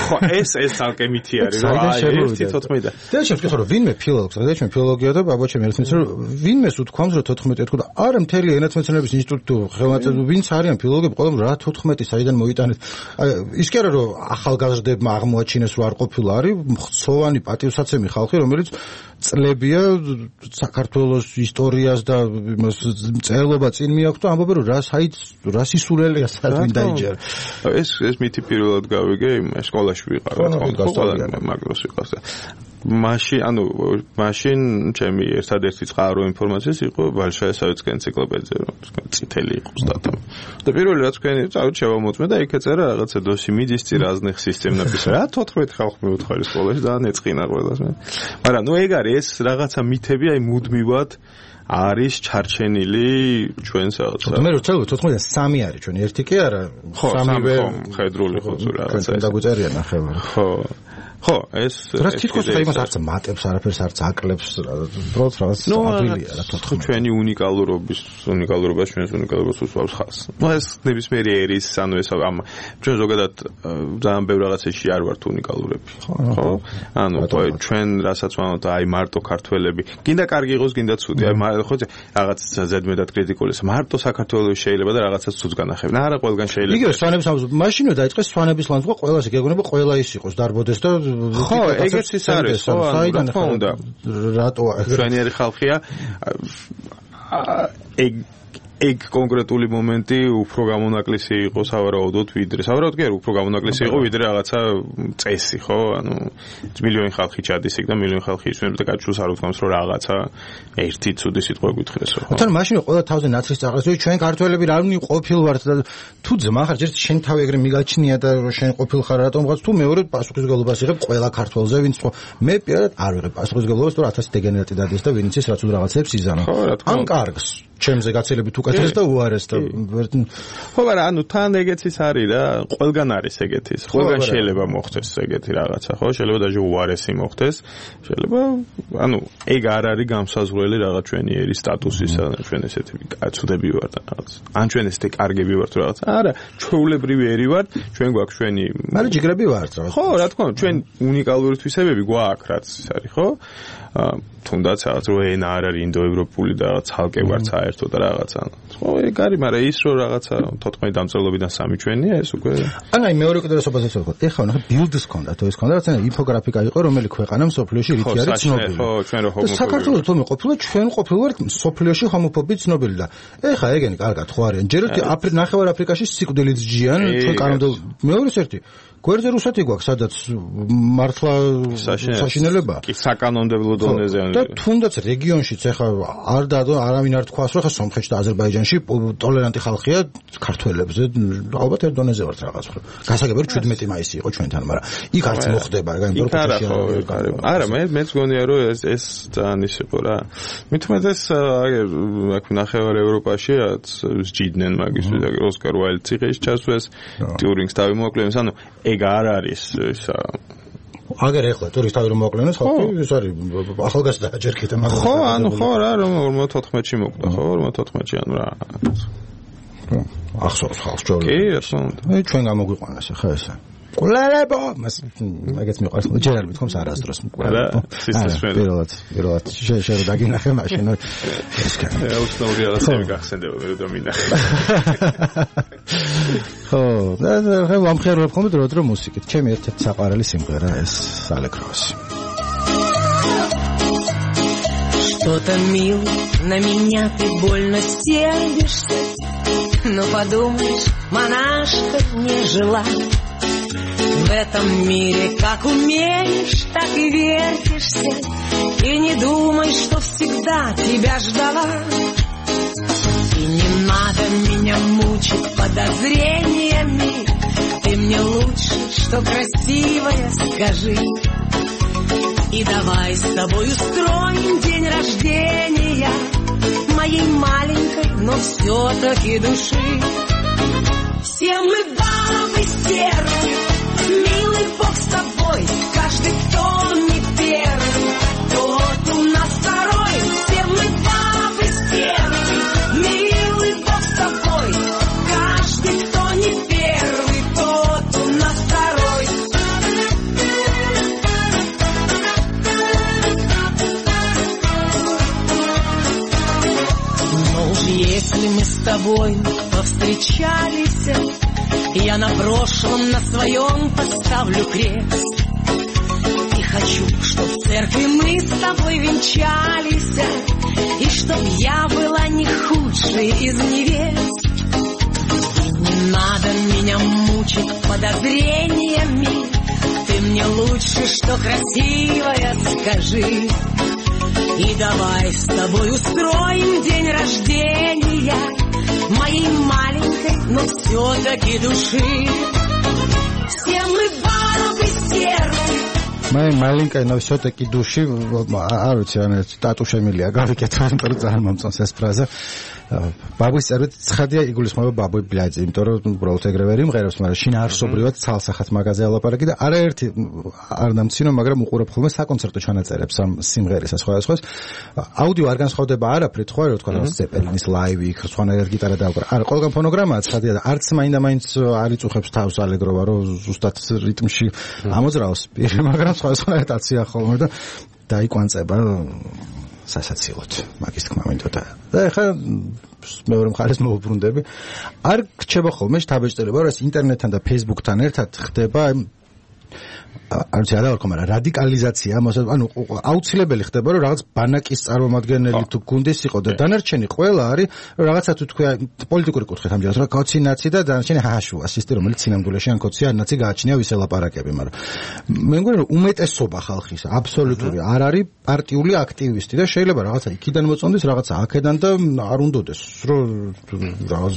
ხო, ეს ცალკე მითი არის, რომ აი 1-14. და შევთქვი რომ ვინმე ფილოლოგს, რა ჩვენ ფილოლოგია და ბაბაჩემ ერთმანეთს რომ ვინმეს უთქვამს რომ 14 ეთქვა და არა მთელი ენათმეცნიერების ინსტიტუტი ხელმძღვანელი ვინც არიან ფილოლოგები, ყველამ რა 14 საიდან მოიტანეთ. აი ის კი არა რომ ახალგაზრდებმა აღმოაჩინეს რომ არ ყოფილა არის მხცოვანი პატივსაცემი ხალხი რომელიც წლებია საქართველოს ისტორიას და წერლობა წინ მიაქვს და ამბობენ რომ რა სისულელია საერთოდ დაიჯერა. ეს მითი პირველად გავიგე სკოლაში ვიყარ რა თქმა უნდა მაგდროს ვიყავს და მაშინ ჩემი ერთადერთი წყარო ინფორმაციის იყო ბალშაესავიცკი ენციკლოპედია რომ წითელი იყო სტატა. და პირველი რაც თქვენი წავით შევამოწმე და იქ ეწერა რაღაცა დოსი მიდისწი რაზნეხ სისტემნების რა 14 ხალხი მეუთხარი სკოლაში და ეწყინა ყველას მე. მაგრამ ნუ ეგ არის ეს რაღაცა მითები აი მუდმივად არის ჩარჩენილი ჩვენს რაღაცა. მე რო წელო 14-დან 3 არის ჩვენ ერთი კი არა 3-ვე ხედრული ხო თუ რაღაცა. ჩვენ დაგვიწერია ნახევარი. ხო, ეს რა თითქოს ხა იმას არც მატებს, არაფერს არც აკლებს, უბრალოდ რაღაც ადვილია რა თქმა უნდა. ჩვენი უნიკალურობა ჩვენს უნიკალურობას უსვამს ხაზს. ნუ ეს ნებისმიერი ერის, ანუ ეს ჩვენ ზოგადად ძალიან ბევრ რაღაცებში არ ვართ უნიკალურები. ხო? ანუ ჩვენ რასაც ვამბობთ, აი მარტო ქართველები, გინდა კარგი იყოს, გინდა ცუდი, აი ხო რაღაც ზედმეტად კრიტიკულის, მარტო საქართველოს შეიძლება და რაღაცას ცუდს განახებენ. არა ყველგან შეიძლება. იგივე სვანების მაშინვე დაიწყეს სვანების ლანძღვა, ყველასი გეგონება ყველა ის იყოს, დარბოდეს და ხო, ეგეც ის არის, ხო, რა თქმა უნდა. რატოა? ჩვენი ხალხია ეგ კონკრეტული მომენტი უფრო გამონაკლისი იყო სავარაუდოდ ვიდრე. სავარაუდოდ კი არა, უფრო გამონაკლისი იყო ვიდრე რაღაცა წესი, ხო? ანუ მილიონი ხალხი ჩადის იქ და მილიონი ხალხი ისვენებს და გაჩვენს არ უთქვამს რომ რაღაცა ერთი ცუდი სიტყვა გითხრესო. თან მაშინ ყველა თავზე ნაცრის წაღრას, ჩვენ ქართველები რა ყოფილვართ და თუ ძმა ხარ, ჯერ შენ თავი ეგრე მიგაჩნია და შენ ყოფილ ხარ რატომ რაღაც თუ მეორე პასუხისმგებლობას იღებ ყველა ქართველზე, ვინც მე პირადად არ ვიღებ პასუხისმგებლობას, თუ 1000 დეგენერატი დადეს და ვინც ის რაც უნდა რაღაცებს იზანა. ან კარგს ჩემზე გაცილებით უკეთეს და უარეს და ხო მაგრამ ანუ თან ეგეც ის არის რა ყველგან არის ეგეთის ყველგან შეიძლება მოხდეს ეგეთი რაღაცა ხო შეიძლება даже უარესი მოხდეს შეიძლება ანუ ეგ არ არის გამსაზღვრელი რაღაც ჩვენი ერის სტატუსისა ჩვენ ესეთი კაცუდები ვართ რაღაც ან ჩვენ ესეთი კარგები ვართ რაღაც არა ჩვეულებრივი ერი ვართ ჩვენ გვაქვს ჩვენი მაგრამ ჯიგრები ვართ რაღაც ხო რა თქმა უნდა ჩვენ უნიკალური თვისებები გვაქვს რაც ის არის ხო თუნდაც რაღაც რო ენა არ არის ინდოევროპული და ცალკე ვარ საერთოდ რაღაცა. ხო, ეგ არის, მაგრამ ის რო რაღაცა 14 დამწერლობიდან 3 ჩვენია, ეს უკვე. აი მეორე კიდევასობაზე ვთქვა. ეხლა ნახე ბილდის ქონდა, თუ ეს ქონდა, რაღაცა ინფოგრაფიკა იყო, რომელიც ქვეყანა მსოფლიოში რითი არის ცნობილი. ხო, ჩვენ რო ჰომოფობი. საქართველოს თუმე ყოფილა ჩვენ ყოფილვართ მსოფლიოში ჰომოფობი ცნობილი და ეხლა ეგენი კარგად ხო არიან. ჯერ ერთი ნახევარ აფრიკაში სიკვდილით ჯიან, ჩვენ კანონმდებლ მეორეს ერთი გვერდზე რუსეთი გვაქვს, სადაც მართლა საშინელება. კი, საკანონმდებლო დონეზე. და თუნდაც რეგიონშიც ეხლა არავინ არ თქვას, რომ ხა სომხეთში და აზერბაიჯანში ტოლერანტი ხალხია ქართველებზე, ალბათ ერთ დონეზე ვართ რაღაც. გასაგებია რომ 17 მაისი იყო ჩვენთან, მაგრამ იქ არც მოხდება, მაგრამ არა, მეც გონია რომ ეს ძალიან ის იყო რა. მithumetes აქ ნახევარ ევროპაში სჯიდნენ მაგისთვის, ოსკარ უაილდს იღეს ჩასვეს, ტიურინგს დავიმოკლეს, ანუ ეგ არ არის ისა აგერ ეხლა ტურის თავი რომ მოკლენოს ხალხი ეს არის ახალგაზრდა ჯერ კიდე მაგრამ ხო ანუ ხო რა რომ 54-ში მოკვდა ხო 54-ში ანუ რა ახსოვს ხალხს ჯერ კი რა თქმა უნდა ჩვენ გამოგვიყვანეს ხა ესე მკვლელებო მაგაც მიყვარს ჯერ არ მithkoms არასდროს მკვლელებო პირველად შეიძლება დაგინახე მაშინ ეს კაცი უცნაური რაღაცები გახსენდება მე რომ მინახე ხო და ვამხერებ ხოლმე დრო მუსიკით ჩემი ერთ-ერთი საყვარელი სიმღერა ეს ალეგროვასი Что-то, милый, на меня ты больно сердишься, но подумаешь, монашка не жила. В этом мире как умеешь, так и вертишься, и не думай, что всегда тебя ждала. И не надо меня мучить подозрениями, ты мне лучше, что красивая, скажи. И давай с тобой устроим день рождения моей маленькой, но все-таки души. Все мы бабы стервы, милый Бог с тобой, каждый, кто не первый, тот у нас второй. Все мы бабы стервы, милый Бог с тобой, каждый, кто не первый, тот у нас второй. Если мы с тобой повстречались, я на прошлом, на своем поставлю крест. И хочу, чтоб в церкви мы с тобой венчались, и чтоб я была не худшей из невест. И не надо меня мучить подозрениями, ты мне лучше, что красивая, скажи. И давай с тобой устроим день рождения моей маленькой, но все-таки души. Все мы бабы сердце. Моей маленькой, но все-таки души. არ ვიცი, ან სტატუ შემილია გავიკეთე, იმიტომ რომ ძალიან მომწონს ეს ფრაზა. ბაბუის წერვით ცხადია იგულისხმება ბაბუი ბლაძი, იმიტომ რომ უბრალოდ ეგრე ვერ იმღერებს, მაგრამ შინაარსობრივად ცალსახად მაგაზე ალაპარაკი და არაერთი არ დამცინო, მაგრამ უყურებ ხოლმე საკონცერტო ჩანაწერებს ამ სიმღერისა სხვადასხვას. აუდიო არ განსხვავდება არაფრით, ხო, რა თქვა, ზეპელინის ლაივი, იქ სხვანაირად გიტარა დაუკრა. არა, ყველგან ფონოგრამაა ცხადია და არც მაინდა-მაინც არ იწუხებს თავს ალეგროვა, რომ ზუსტად რიტმში ამოძრაოს პირი, მაგრამ სხვადასხვანაირად აცია ხოლმე და დაიკვანწება სასაცილოდ მაგის თქმა მინდოდა და ეხლა მეორე მხარეს მოვუბრუნდები არ რჩება ხოლმე შთაბეჭდილება რომ ეს ინტერნეტთან და ფეისბუქთან ერთად ხდება არ ვიცი რა ვქო მაგრამ რადიკალიზაცია ანუ აუცილებელი ხდება რომ რაღაც ბანაკის წარმომადგენელი თუ გუნდის იყო და დანარჩენი ყველა არის რომ რაღაცა თუ თქვა პოლიტიკური კუთხით ამჯერად რა კოცინაცი და დანარჩენი ჰაშუ ასისტი რომელიც სინამდვილეში ან კოცი ან ნაცი გააჩნია ვისელაპარაკები მაგრამ მე მგონი რომ უმეტესობა ხალხის აბსოლუტური არ არის პარტიული აქტივისტი და შეიძლება რაღაცა იქიდან მოწონდეს რაღაცა აქედან და არ უნდოდეს რომ რაღაც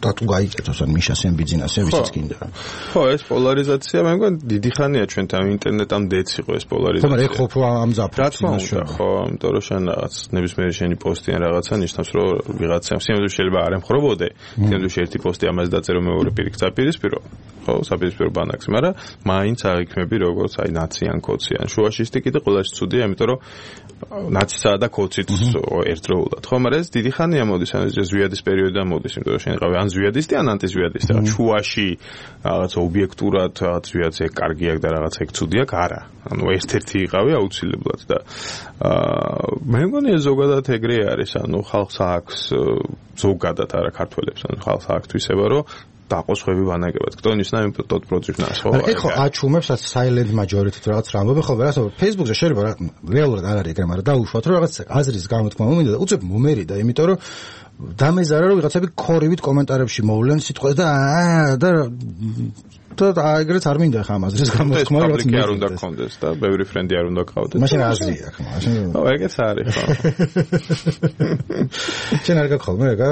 დატუ გაიკეთოს ან მიშასენ ბიზნესზე ვისაც გინდა ხო ეს პოლარიზაცია მე მგონი დიდი ხანია ჩვენთან ინტერნეტამდე იყო ეს პოლარიზაცია. ხო, მაგრამ ეხ ხო ამ ზაფხულში. რა თქმა უნდა, ხო, იმიტომ რომ შენ რაღაც ნებისმიერი შენი პოსტი ან რაღაცა ნიშნავს, რომ ვიღაცამ სიმძლავრე შეიძლება არ ემხრობოდე. სიმძლავრე ერთი პოსტი ამაზე დაწერო მეორე პირიქ საპირისპირო. ხო, საპირისპირო ბანაკს, მაგრამ მაინც აღიქმები როგორც აი ნაცი ან კოცი ან შუაშისტი კიდე ყველაში ცუდია, იმიტომ რომ ნაცისა და კოციც ერთდროულად. ხო, მაგრამ ეს დიდი ხანია მოდის, ან ეს ზვიადის პერიოდიდან მოდის, იმიტომ რომ შენ ყავი ან ზვიადისტი ან ანტიზვიადისტი, რაღაც შუაში რაღაც ობიექტურად რაღაც ზვიადზე კარგი აქვს და რაღაც ეგ ცუდია, არა. ანუ ერთ-ერთი იყავი აუცილებლად და მე მგონი ზოგადად ეგრე არის, ანუ ხალხს აქვს ზოგადად არა ქართველებს, ანუ ხალხს აქვს თვისება, რომ დაყოსხვები ვანაგებად. Кто не знает, тот против нас. ეხო აჩუმებს silent majority რაღაც რამბობი ხო ვერასო Facebook-ზე შეიძლება რეალურად არ არის ეგრე, მაგრამ დაუშვათ რომ რაღაც აზრის გამოთქმა მომინდა და უცებ მომერიდა, იმიტომ რომ დამეზარა რომ ვიღაცები ქორივით კომენტარებში მოვლენ სიტყვას და ეგრეც არ მინდა ხა ამაზრის გამოთქმა რაღაც პაბლიკი არ უნდა გქონდეს და ბევრი ფრენდი არ უნდა გყავდეს. მაშინ აზრია ხა მაშინ. ო ეგეც არის ხო. შენ არ გქოლმე ეგა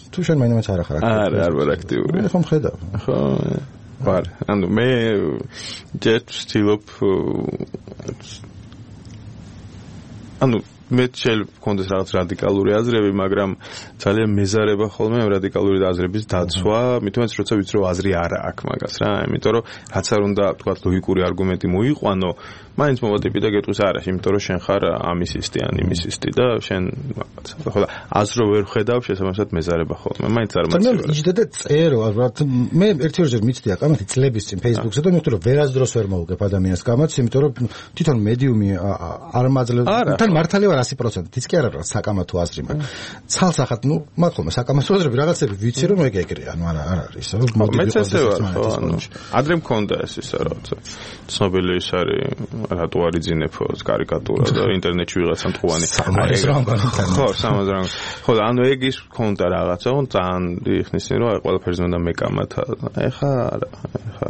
თუ შენ მაინც არ ახარ აქტიური. არ ვარ აქტიური. ხო მხედავ. ხო ვარ. ანუ მე ჯერ ვცდილობ ანუ მე შეიძლება გქონდეს რაღაც რადიკალური აზრები, მაგრამ ძალიან მეზარება ხოლმე რადიკალური აზრების დაცვა, მithumetes როცა ვიცი რომ აზრი არა აქვს მაგას რა, იმიტომ რომ რაც არ უნდა თქვა ლოგიკური არგუმენტი მოიყვანო, მაინც მომატები და გეტყვის არა, იმიტომ რომ შენ ხარ ამისისტი ან იმისისტი და შენ ხო და აზრო ვერ ხედავ, შესაბამისად მეზარება ხოლმე. მაინც არ მოცემ. იჯდა და წერო, ალბათ მე ერთ-ერთჯერ მიცდი აკამათი წლების წინ Facebook-ზე და მივხვდი რომ ვერასდროს ვერ მოვუგებ ადამიანს გამაც, იმიტომ რომ თვითონ მედიუმი არ მაძლევს. თან მართალია 100%. ის კი არა რა საკამათო აზრი მაქვს. ცალსახად, ნუ მაგ ხოლმე საკამათო აზრები რაღაცები ვიცი რომ ეგ ეგრეა, ნუ არა არის. მეც ესე ვარ, ხო, ანუ ადრე მქონდა ეს ისა რაღაცა. ცნობილი ის არის რატო არ იძინებო კარიკატურა და ინტერნეტში ვიღაცა მტყუანი. ხო, სამაზრანგ. ხო, ანუ ეგ ის მქონდა რაღაცა, ძალიან იხნისინი რომ აი ყველაფერზე უნდა მეკამათა. ეხა არა, ეხა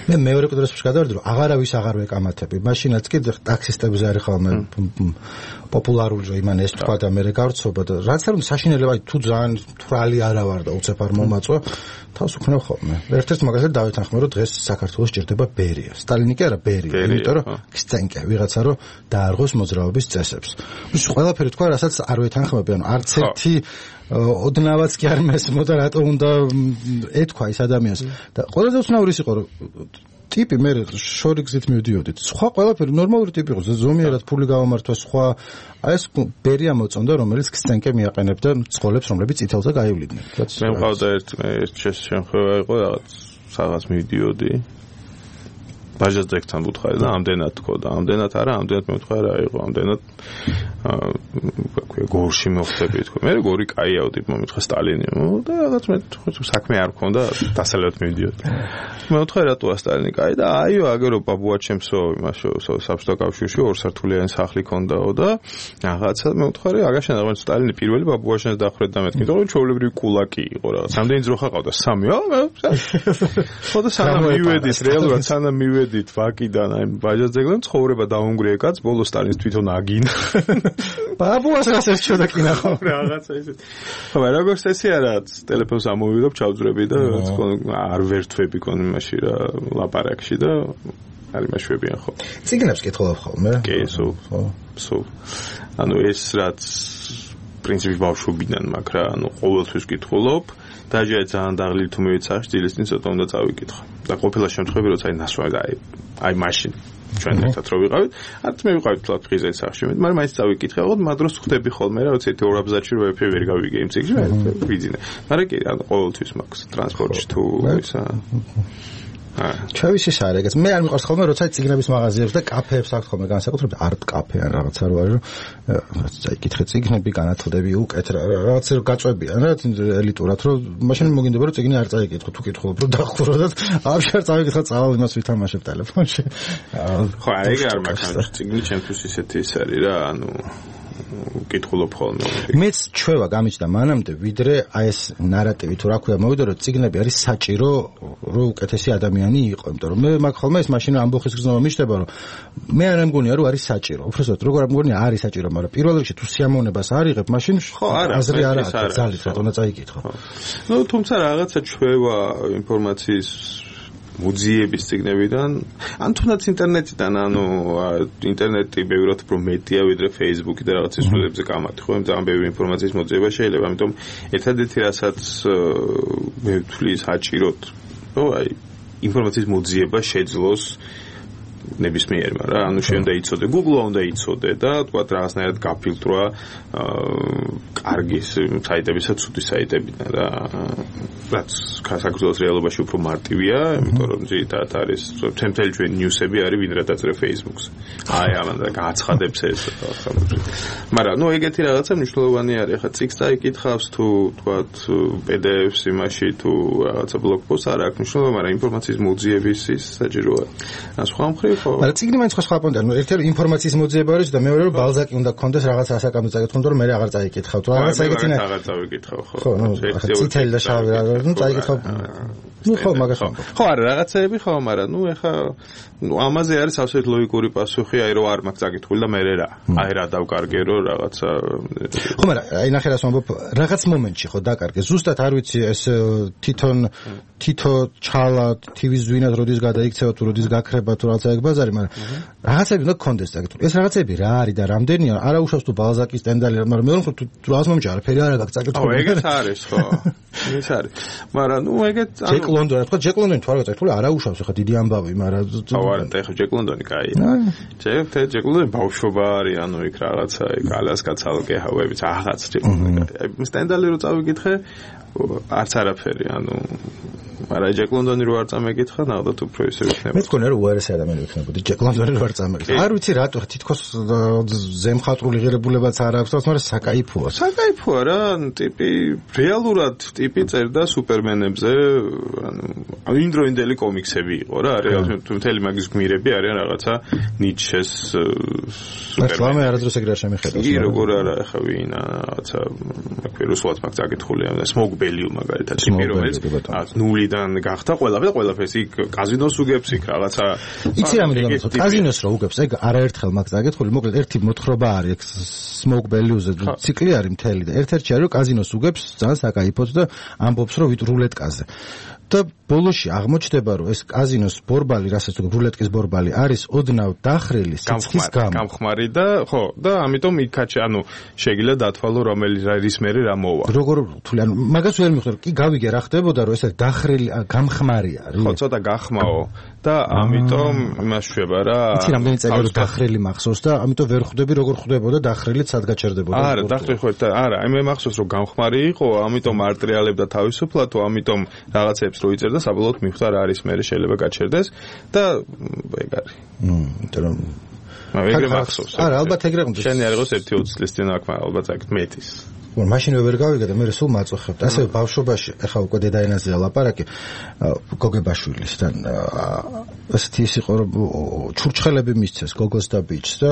მე მეორე კუდროს შეგადავდი რომ აღარავის აღარ ვეკამათები. მაშინაც კი ტაქსისტებზე არის ხოლმე პოპულარული რომ იმან ეს თქვა და მე გავრცობა და რაც არ უნდა საშინელება თუ ძალიან თვრალი არა ვარ და უცებ არ მომაწვა თავს უქნევ ხოლმე. ერთ-ერთ მაგალითად დავეთანხმე რომ დღეს საქართველოს ჭირდება ბერია. სტალინი კი არა ბერია, იმიტომ რომ გსცენკე ვიღაცა რომ დაარღოს მოძრაობის წესებს. ის ყველაფერი თქვა რასაც არ ვეთანხმები, ანუ არც ერთი ოდნავაც კი არ მესმო და რატო უნდა ეთქვა ის ადამიანს და ყველაზე უცნაურის იყო რომ ტიპი მე შორიგზით მივდიოდით. სხვა ყველაფერი ნორმალური ტიპი იყო, ზომიერად ფული გავამართვა, სხვა აი ეს ბერია მოწონდა, რომელიც გსცენკე მიაყენებდა წყოლებს, რომლებიც წითელზე გაივლიდნენ. მე მყავდა ერთ შემთხვევა იყო რაღაც მივდიოდი. ბაჟას ძეგთან ვუთხარი და ამდენად თქო და ამდენად არა, ამდენად მე ვთქვა რა იყო, ამდენად გორში მოხდები თქო. მე გორი კაიაო ტიპ მომითხრა სტალინი და რაღაც მე საქმე არ მქონდა, დასალევად მივდიოდი. მე ვთქვა რატოა სტალინი კაი და აიო აგერო ბაბუა ჩემსო იმაშო საბჭოთა კავშირში ორსართულიანი სახლი ქონდაო და რაღაცა მე ვთქვა აგაშენ რაღაც სტალინი პირველი ბაბუაშენს დახრეთ და მეთქი და ჩვეულებრივი კულაკი იყო რაღაც. სამდენი ძროხა ყავდა 3-ო. ხო და სანამ მივედით რეალურად სანამ მივედით ვაკიდან აი ბაჟას ძეგლთან ცხოვრება დაუნგრია კაც ბოლოს სტალინს თვითონ აგინა. ბაბუას რას ერჩოდა კი ნახო რაღაცა ისეთ. ხო როგორც ესე არა ტელეფონს ამოვიდობ ჩავძრები და არ ვერთვები კონ იმაში რა ლაპარაკში და არ იმაშვებიან ხო. ციგნებს კითხულობ ხოლმე? კი, სულ. ანუ ეს რაც პრინციპი ბავშვობიდან მაქვს რა, ანუ ყოველთვის კითხულობ. დაჟე ძალიან დაღლილი თუ მივიცახე დილისწინ ცოტა უნდა წავიკითხო. და ყოფილა შემთხვევები როცა ნასვლა აი მაშინ ჩვენ ერთად რო ვიყავით, არც მე ვიყავით თლათ ღიზეც სახში, მაგრამ მაინც წავიკითხე, ხო მადროს ხვდები ხოლმე რა, როცა ერთი ორ აბზაცში რო ვერ გავიგე იმ ციგში, ვიძინე. მაგრამ კი, ანუ ყოველთვის მაქვს ტრანსპორტში თუ ისა ჩავის ის არ ეგეც მე არ მიყვარს ხოლმე როცა ციგნების მაღაზიებს და კაფეებს აქვს ხოლმე განსაკუთრებით არტ კაფე ან რაღაცა რო არის რომ წაიკითხე ციგნები განათლდები უკეთ რაღაცა რო გაწვევიან რა ელიტურად რომ მაშინ მოგინდება რომ ციგნი არ წაიკითხო თუ კითხულობ რომ დახუროდათ აბშარ წავიკითხა წავალ იმას ვითამაშებ ტელეფონში ხო ეგ არ მაქვს ციგნი ჩემთვის ისეთი ის არის რა ანუ კითხულობ ხოლმე. მეც ჩვევა გამიჩნდა მანამდე, ვიდრე აი ეს ნარატივი თუ რა ქვია, მოვიდა რომ ციგნები არის საჭირო, რომ უკეთესი ადამიანი იყო, იმიტომ რომ მე მაგ ხოლმე ეს მაშინ ამბოხის გზნობა მიჩნდება, რომ მე არ მგონია რომ არის საჭირო. უბრალოდ როგორ მგონია არის საჭირო, მაგრამ პირველ რიგში თუ სიამოვნებას არ იღებ, მაშინ აზრი არ აქვს, ძალით რატომ წაიკითხო. ნუ თუმცა რაღაცა ჩვევა ინფორმაციის მუზეების ციგნებიდან, ან თუნდაც ინტერნეტიდან, ანუ ინტერნეტი ბევრად უფრო მეტია ვიდრე Facebook და რაღაც ისულებზე კამათი, ხო, ძალიან ბევრი ინფორმაციის მოძიება შეიძლება, ამიტომ ერთადერთი რასაც მე ვთვლი საჭიროდ, ხო, აი ინფორმაციის მოძიება შეძლოს ნებისმიერმა რა, ანუ შენ უნდა იცოდე, Google-ა უნდა იცოდე და თქვა რაღაცნაირად გაფილტრვა კარგი საიტებისა, ცუდი საიტებიდან რა. რაც საქართველოს რეალობაში უფრო მარტივია, იმიტომ რომ ძირითადად არის თემთელი ჩვენ ნიუსები არის ვინ რა დაწერე Facebook-ზე. აი ამან გააცხადებს ეს რაღაცა. მაგრამ ნუ ეგეთი რაღაცა მნიშვნელოვანი არის, ხა ციგს წაიკითხავს თუ თქვა PDF-ს იმაში თუ რაღაცა ბლოგპოსტს არ აქვს მნიშვნელობა, მაგრამ ინფორმაციის მოძიების ის საჭიროა. ან სხვა მხრივ ხო? მაგრამ ციგნი მაინც სხვა პონტია, ნუ ერთ-ერთი ინფორმაციის მოძიება არის და მეორე რომ ბალზაკი უნდა გქონდეს რაღაც ასაკამზე წაიკითხო, რომ მე აღარ წაიკითხავ. თუ რაღაც ეგეთინა აღარ წავიკითხავ ხო. ხო, ნუ ცითელი და შავი ნუ წაიკითხავ. ნუ ხო მაგას ხო არა რაღაცები ხო, მაგრამ ნუ ეხა ამაზე არის ასეთ ლოგიკური პასუხი, აი რომ არ მაქვს წაკითხული და მე რა. აი რა დავკარგე რომ რაღაცა ხო, მაგრამ აი ნახე რას ვამბობ, რაღაც მომენტში ხო დაკარგე. ზუსტად არ ვიცი ეს თვითო ჩალა TV-ს ვინად როდის გადაიქცევა თუ როდის გაქრება თუ რაღაცა ეგ ბაზარი, მაგრამ რაღაცები უნდა გქონდეს საკითხი. ეს რაღაცები რა არის და რამდენია? არა უშავს თუ ბალზაკის სტენდალი, მაგრამ მეორე მხრივ თუ რაღაც მომჭა არაფერი არ აქვს საკითხი. ეგეც არის ხო. ეს არის. მაგრამ ეგეც ჯეკ ლონდონი, თქვა ჯეკ ლონდონი თუ არ გაწეთული არა უშავს ხა დიდი ამბავი, მაგრამ არა და ეხა ჯეკ ლონდონი კაია. ჯეკ ლონდონი ბავშვობა არის, იქ რაღაცა ალასკაცალკე ჰავებიც აღაც ჯეკ ლონდონი. სტენდალი რო წავიკითხე, არც არაფერი, მაგრამ ჯეკ ლონდონი რო არ წამეკითხა, ნახოთ უფრო ისე იქნება. მე მგონია რომ უარესი ადამიანი ვიქნებოდი, ჯეკ ლონდონი რო არ წამეკითხა. არ ვიცი რატო თითქოს ზემხატვრული ღირებულებაც არ აქვს, მაგრამ საკაიფოა. საკაიფოა რა, ტიპი რეალურად ტიპი წერდა სუპერმენებზე, იმდროინდელი კომიქსები იყო რა, რეალურად მთელი მაგის გმირები არიან რაღაცა ნიჩეს სუპერმენი. მე არადროს ეგრე არ შემიხედავს. კი, როგორ არა, ახლა ვინა, რაღაცა რუსულად მაგ წაკითხულია, სმოგ ბელიუ მაგალითად, ტიპი რომელიც ნულიდან გახდა ყველაფერს იქ კაზინოს უგებს იქ რაღაცა. იცი რა მინდა გითხრათ, კაზინოს რო უგებს, ეგ არაერთხელ მაგ წაკითხული, მოკლედ ერთი მოთხრობა არის, სმოგ ბელიუზე ციკლი არის მთელი და ერთ-ერთი არის რომ კაზინოს უგებს ძალიან საკაიფოდ და ამბობს რომ რულეტკაზე. და ბოლოში აღმოჩნდება რომ ეს კაზინოს ბორბალი, რასაც თუ რულეტკის ბორბალი არის ოდნავ დახრილი სიცხის გამო. გამხმარი და ხო, და ამიტომ იქაც შეიძლება დათვალო რომელიც მერე რა მოვა. როგორ თვლი, მაგას ვერ მიხვდები, კი გავიგე რა ხდებოდა რომ ეს დახრილი გამხმარი არის. ხო, ცოტა გახმაო და ამიტომ იმას შვება რა. იცი რამდენი წელი რომ დახრილი მახსოვს და ამიტომ ვერ ხვდები როგორ ხდებოდა დახრილიც სად გაჩერდებოდა. არა, დახრილი ხო არა, მე მახსოვს რომ გამხმარი იყო, ამიტომ არტრიალებდა თავისუფლად, ამიტომ რაღაცებს რო იწერდა საბოლოოდ მიხვდა რა არის მერე შეიძლება გაჩერდეს და ეგ არის. იმიტომ რომ ეგრე მახსოვს. არა, ალბათ ეგრე უნდა. შენი არ იყოს 1-20 წლის წინ აქ ალბათ აქ მეტის. მაშინვე ვერ გავიგე და მე სულ მაწუხებთ. ასე ბავშვობაში, ეხლა უკვე დედაენაზეა ლაპარაკი, გოგებაშვილისთან. ასეთი ის იყო რომ ჩურჩხელები მისცეს გოგოს და ბიჭს და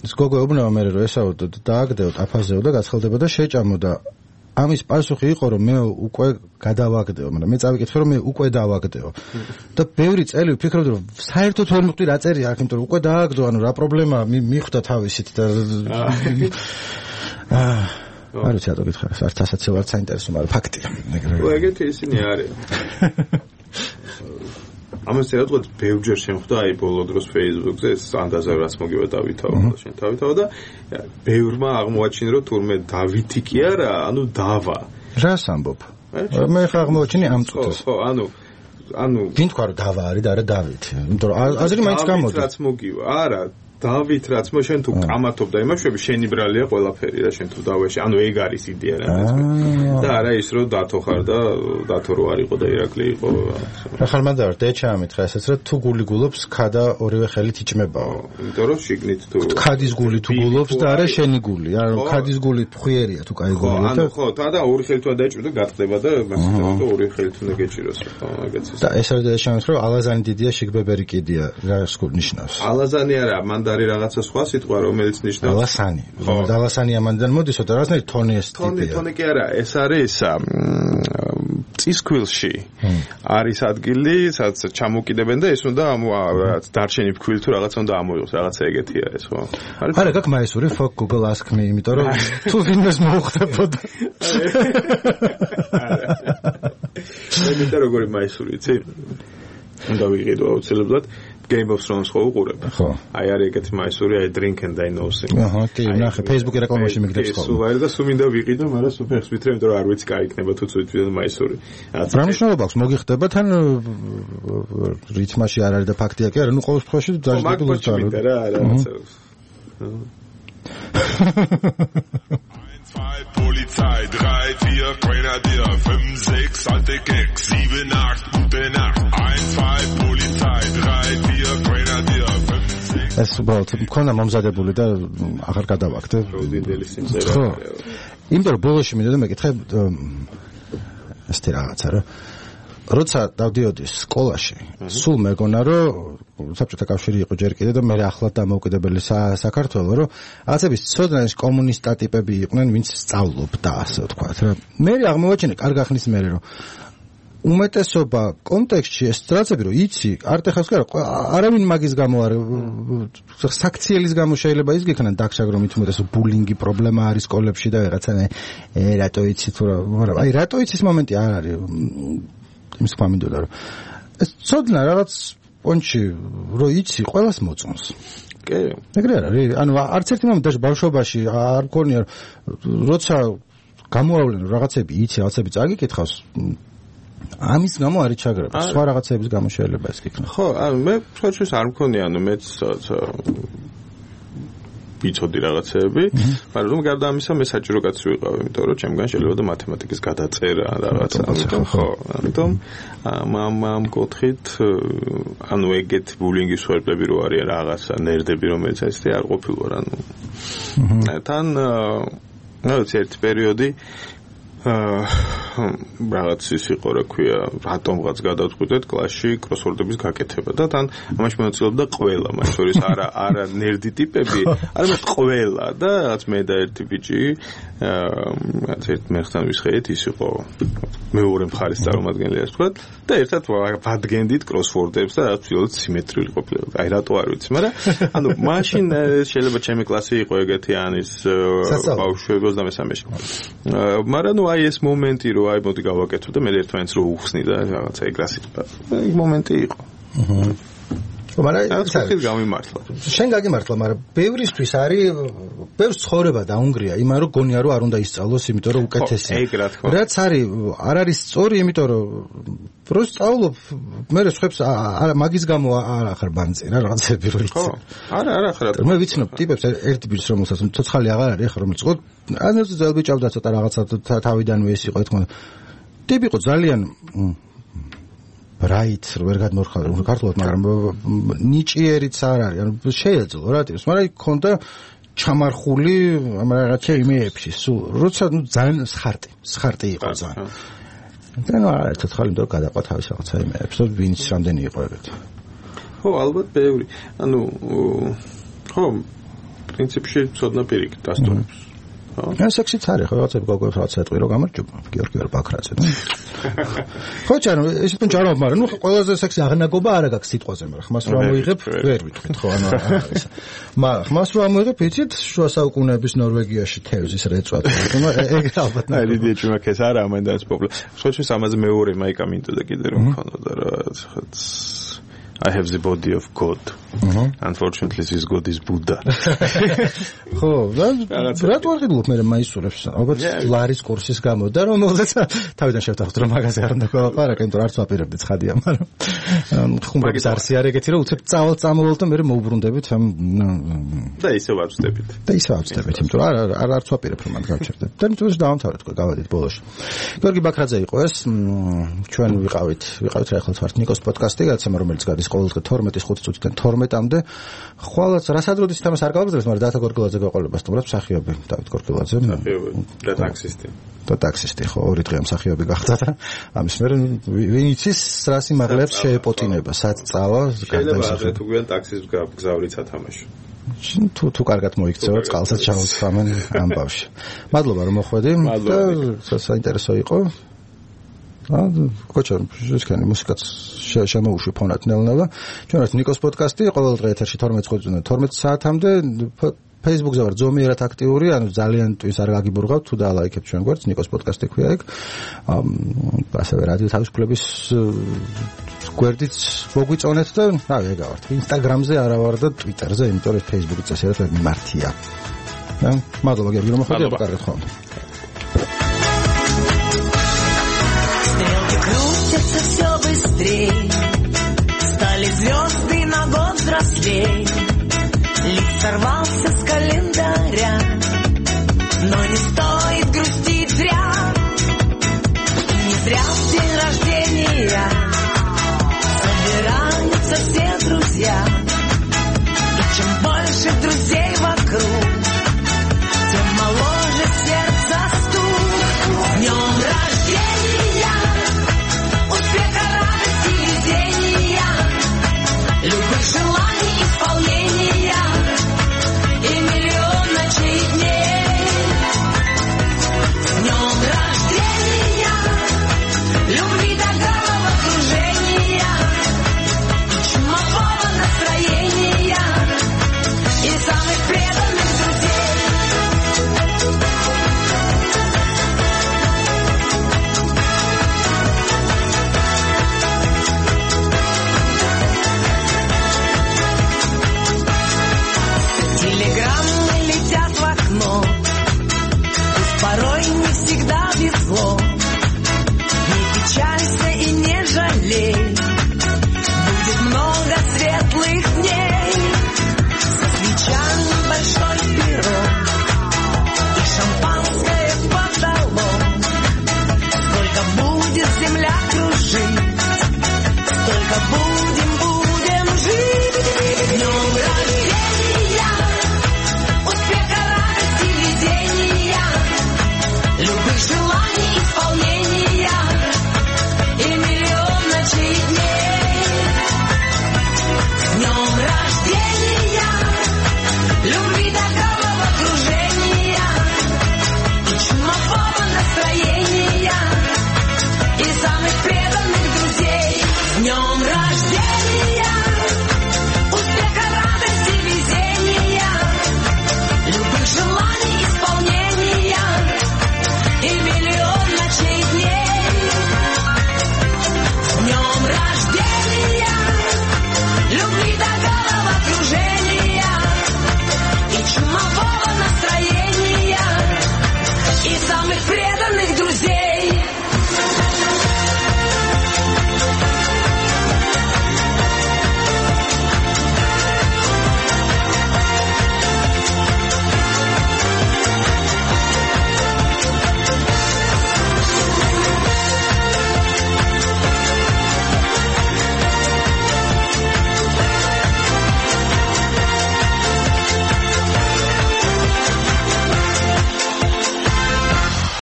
ეს გოგო უბნევა მე რომ ესაო დააგდეო, აფაზეო და გაცხელდება და შეჭამო და ამის პასუხი იყო რომ მე უკვე გადავაგდეო, მაგრამ მე წავიკითხე რომ მე უკვე დავაგდეო. და ბევრი წელი ვფიქრობდი რომ საერთოდ ვერ მივხვდი რა წერია აქ, იმიტომ რომ უკვე დააგდო, ანუ რა პრობლემაა მიხვდა თავისით და არ ვიცი რატო გითხარ, არც ასაცილ არც საინტერესო, მაგრამ ფაქტია. ეგეთი ისინი არის. ამას ერთად ბევრჯერ შემხვდა აი ბოლო დროს Facebook-ზე ეს ანდაზე რაც მოგივა დავითაო და შენ დავითაო და ბევრმა აღმოაჩინა რომ თურმე დავითი კი არა, დავა. რას ამბობ? მე ხა აღმოაჩინე ამ წუთას. ხო, ვინ თქვა რომ დავა არის და არა დავითი? იმიტომ რომ აზრი მაინც გამოდის. რაც მოგივა, არა დავით რაც შენ თუ კამათობ და იმაშვები შენი ბრალია ყველაფერი რა შენ თუ დავაში ეგ არის იდეა რა და არა ის რომ დათო ხარ და დათო რო არ იყო და ირაკლი იყო ახლა მანდარ დეჩა ამითხრა ესაც რომ თუ გული გულობს ქადა ორივე ხელით იჭმებაო იმიტომ რომ შიგნით თუ ქადის გული თუ გულობს და არა შენი გული არა ქადის გული ფხვიერია თუ კაი გულია და ხო და ორი ხელით უნდა დაიჭმო და გატყდება და მასთან ორი ხელით უნდა გეჭიროს ეგეც და ეს არის და შემოხრო ალაზანი დიდია შიგბებერი კიდია რა ნიშნავს ალაზანი არა მანდარი რაღაცა სხვა სიტყვა რომელიც ნიშნავს ალასანი ალასანი ამანდან მოდისო და რაღაცნაირ თონი ეს ტიპია თონი კი არა ეს არის წისქვილში არის ადგილი სადაც ჩამოკიდებენ და ეს უნდა რაღაც დარჩენი ფქვილი თუ რაღაცა უნდა ამოიღოს რაღაცა ეგეთია ეს ხო არა გაკ მაისური fuck Google ask me იმიტომ რომ თუ ვინმეს მოუხდებოდა მე მინდა როგორი მაისური იცი უნდა ვიყიდო აუცილებლად Game of Thrones ხო უყურებ? ხო. აი არის ეგეთი მაისური, აი Drink and I Know Thing. აჰა, კი, ნახე, Facebook-ი რეკლამაში მიგდებს ხოლმე. სულ არის და სულ მინდა ვიყიდო, მაგრამ სულ ფეხს ვითრე, იმიტომ რომ არ ვიცი კაი იქნება თუ ცუდ მაისური. რა მნიშვნელობა აქვს მოგიხდება თან რითმაში არ არის და ფაქტია კი არა, ნუ ყოველ შემთხვევაში დაჟინებული თარ. რა რაღაცა. Polizei 3, 4, Grenadier 5, 6, alte Keks 7, 8, gute Nacht 1, 2, Polizei 3, 4, Grenadier 5, 6 ეს უბრალოდ მქონდა მომზადებული და აღარ გადავაგდე. პროდიუდელი სიმღერა. ხო. იმიტომ რომ ბოლოში მინდა და მეკითხე ესეთი რაღაცა რომ როცა დავდიოდი სკოლაში, სულ მეგონა რომ საბჭოთა კავშირი იყო ჯერ კიდე და მე ახლად დამოუკიდებელი საქართველო, რომ რაღაცების ცოდნაის კომუნისტა ტიპები იყვნენ, ვინც სწავლობდა, ასე ვთქვათ რა. მე აღმოვაჩინე კარგ ახნის მერე რომ უმეტესობა კონტექსტში ეს რაღაცები რომ იცი, არტეხავს კი არა, არავინ მაგის გამო არ საქციელის გამო შეიძლება ის გიქნან დაგშაგრომით უმეტესო ბულინგი პრობლემა არის სკოლებში და რაღაცა რატო იცი თუ რა, მაგრამ აი რატო იცის მომენტი არ არის იმის თქვა მინდოდა რომ ეს ცოდნა რაღაც პონჩი რო იცი ყველას მოწონს. კი. ეგრე არის. ანუ არც ერთი მომენტში ბავშვობაში არ მქონია როცა გამოავლენ რაღაცები იცი, რაღაცები წაგიკითხავს. ამის გამო არის ჩაგრება. სხვა რაღაცების გამო შეიძლება ეს იქნება. ხო, ანუ მე პროცესს არ მქონია, ანუ მეც ვიცოდი რაღაცეები, მაგრამ გარდა ამისა მე საჭირო კაცი ვიყავ, იმიტომ რომ ჩემგან შეიძლება და მათემატიკის გადაწერა რაღაცა. ხო, ამიტომ ამ კუთხით ანუ ეგეთ ბულინგის ვერბლები რო არის რაღაცა ნერდები რომელიც ეს არ ყოფილვარ, ანუ თან რაღაც ერთი პერიოდი რაღაც ის იყო რა ქვია, რატომღაც გადავწყვიტეთ კლასში კროსვორდების გაკეთება და თან ამაში მონაწილეობდა ყველა, მათ შორის არა ნერდი ტიპები, არამედ ყველა და რაც მე და ერთი ბიჭი რაც ერთ მერხთან ვისხეით, ის იყო მეორე მხარის წარმომადგენელი ასე ვთქვათ და ერთად ვადგენდით კროსვორდებს და რაც ვთქვათ სიმეტრიული ყოფილა. აი რატო არ ვიცი, მაგრამ ანუ მაშინ შეიძლება ჩემი კლასი იყო ეგეთი ანის ბავშვები 23-ში. მაგრამ ნუ აი ეს მომენტი რომ აი მოდი გავაკეთო და მე ერთმანეთს რო უხსნი და რაღაცა ეგრას იყო. ეგ მომენტი იყო. მაგრამ ეს გამიმართლა. შენ გაგიმართლა, მაგრამ ბევრისთვის არის ბევრს ცხოვრება დაუნგრია, იმან რომ გონია რომ არ უნდა ისწავლოს, იმიტომ რომ უკეთესია. ეგ რა თქმა. რაც არის არ არის სწორი, იმიტომ რომ რო სწავლობ, მე სხვებს მაგის გამო არ ახარ ბანძი რა რაღაცები რო იცი. ხო. არა ხარ. მე ვიცნობ ტიპებს ერთ ბიჭს რომელსაც ცოცხალი აღარ არის, ახლა რომელიც ყო ანაზ ძელბი ჭავდა ცოტა რაღაცა თავიდანვე ეს იყო თქმა. ტიპი იყო ძალიან ბრაით, ვერ გადმორხარ ქართულად, მაგრამ ნიჭიერიც არ არის, ანუ შეეძლო რა ტიპს, მაგრამ იქონდა ჩამარხული რაღაცა იმეებში, სულ როცა ძალიან სხარტი იყო ძალიან. და ნუ არა ცოცხალი მდო გადაყვა თავის რაღაცა იმეებს, და ვინც რამდენი იყო ეგეთი. ხო, ალბათ ბევრი. ანუ ხო, პრინციპში ცოდნა პირიქით დასტურებს. ეს სექსიც არის, ხო, რაღაცები გოგოებს რაღაც ეტყვი რომ გამარჯობა, გიორგი ბაქრაძე. ხო, ჩანო, ეს თუნ ჯარო, მაგრამ ნუ ყველაზე სექსი აღნაგობა არა გაქვს სიტყვაზე, მაგრამ ხმას რომ ამოიღებ, ვერ ვიტყვით, ხო, ანუ არის. მაგრამ ხმას რომ ამოიღებ, იცით, შუა საუკუნეების ნორვეგიაში თევზის რეწვა, თუმცა ეგ ალბათ აი დიდი ჩუმაკეს არა, ამანდაც პოპულარ. ხოჩის ამაზე მეორე მაიკა მინდოდა კიდე რომ ქონოდა რა, I have the body of God. Unfortunately, this God is Buddha. ხო, რატო არ ღირებულობ მე მაისურებს? ალბათ ლარის კურსის გამო და რომელზეც თავიდან შევთანხმდით რომ მაგაზე არ უნდა გავაყარაკე, იმიტომ არც ვაპირებდი ცხადია, მაგრამ ხუმრობის არსი არ ეგეთი რომ უცებ წამოვალ და მე მოვუბრუნდებით ამ და ისე ვაცდებით. იმიტომ რომ არც ვაპირებ რომ მან გავჩერდეთ. და მით უმეტეს დავამთავრეთ, გავედით ბოლოში. გიორგი ბაქრაძე იყო ეს, ჩვენ ვიყავით რა ახლა ვართ ნიკოს პოდკასტი, გადაცემა რომელიც გადის ყოველდღე 12-ის 5 წუთიდან 12-მდე. ხვალაც რასადროდის თემას არ გავაგზავნებთ, მაგრამ დათა გორგილაძე გაყოლება სტუმრებს მსახიობი დავით გორგილაძე. და ტაქსისტი, ხო, 2 დღე მსახიობი გახდა და ამის მერე ვინ იცის რა სიმაღლეებს შეეპოტინება, სად წავა გარდაისახება. თუ გვიან ტაქსის გზავრიც ათამაშო. თუ კარგად მოიქცევა, წყალსაც ჩავუცამენ ამბავში. მადლობა რომ მოხვედი და საინტერესო იყო. კოჩა, შეხანი მუსიკაც შემოუშვი ფონად ნელ-ნელა. ჩვენ ვართ ნიკოს პოდკასტი, ყოველდღე ეთერში 12 საათამდე. Facebook-ზე ვარ ზომიერად აქტიური, ანუ ძალიან ტვის არ გაგიბურღავთ, თუ დაალაიქებთ ჩვენ გვერდს, ნიკოს პოდკასტი ქვია ეგ. ასევე რადიო თავისუფლების გვერდიც მოგვიწონეთ და რავი, ეგ ვართ. Instagram-ზე არა ვარ და Twitter-ზე, იმიტომ რომ Facebook-ით წესიერად ვერ მიმართია. მადლობა გიორგი რომ მოხვედი, კარგად ხვდებით. Крутится все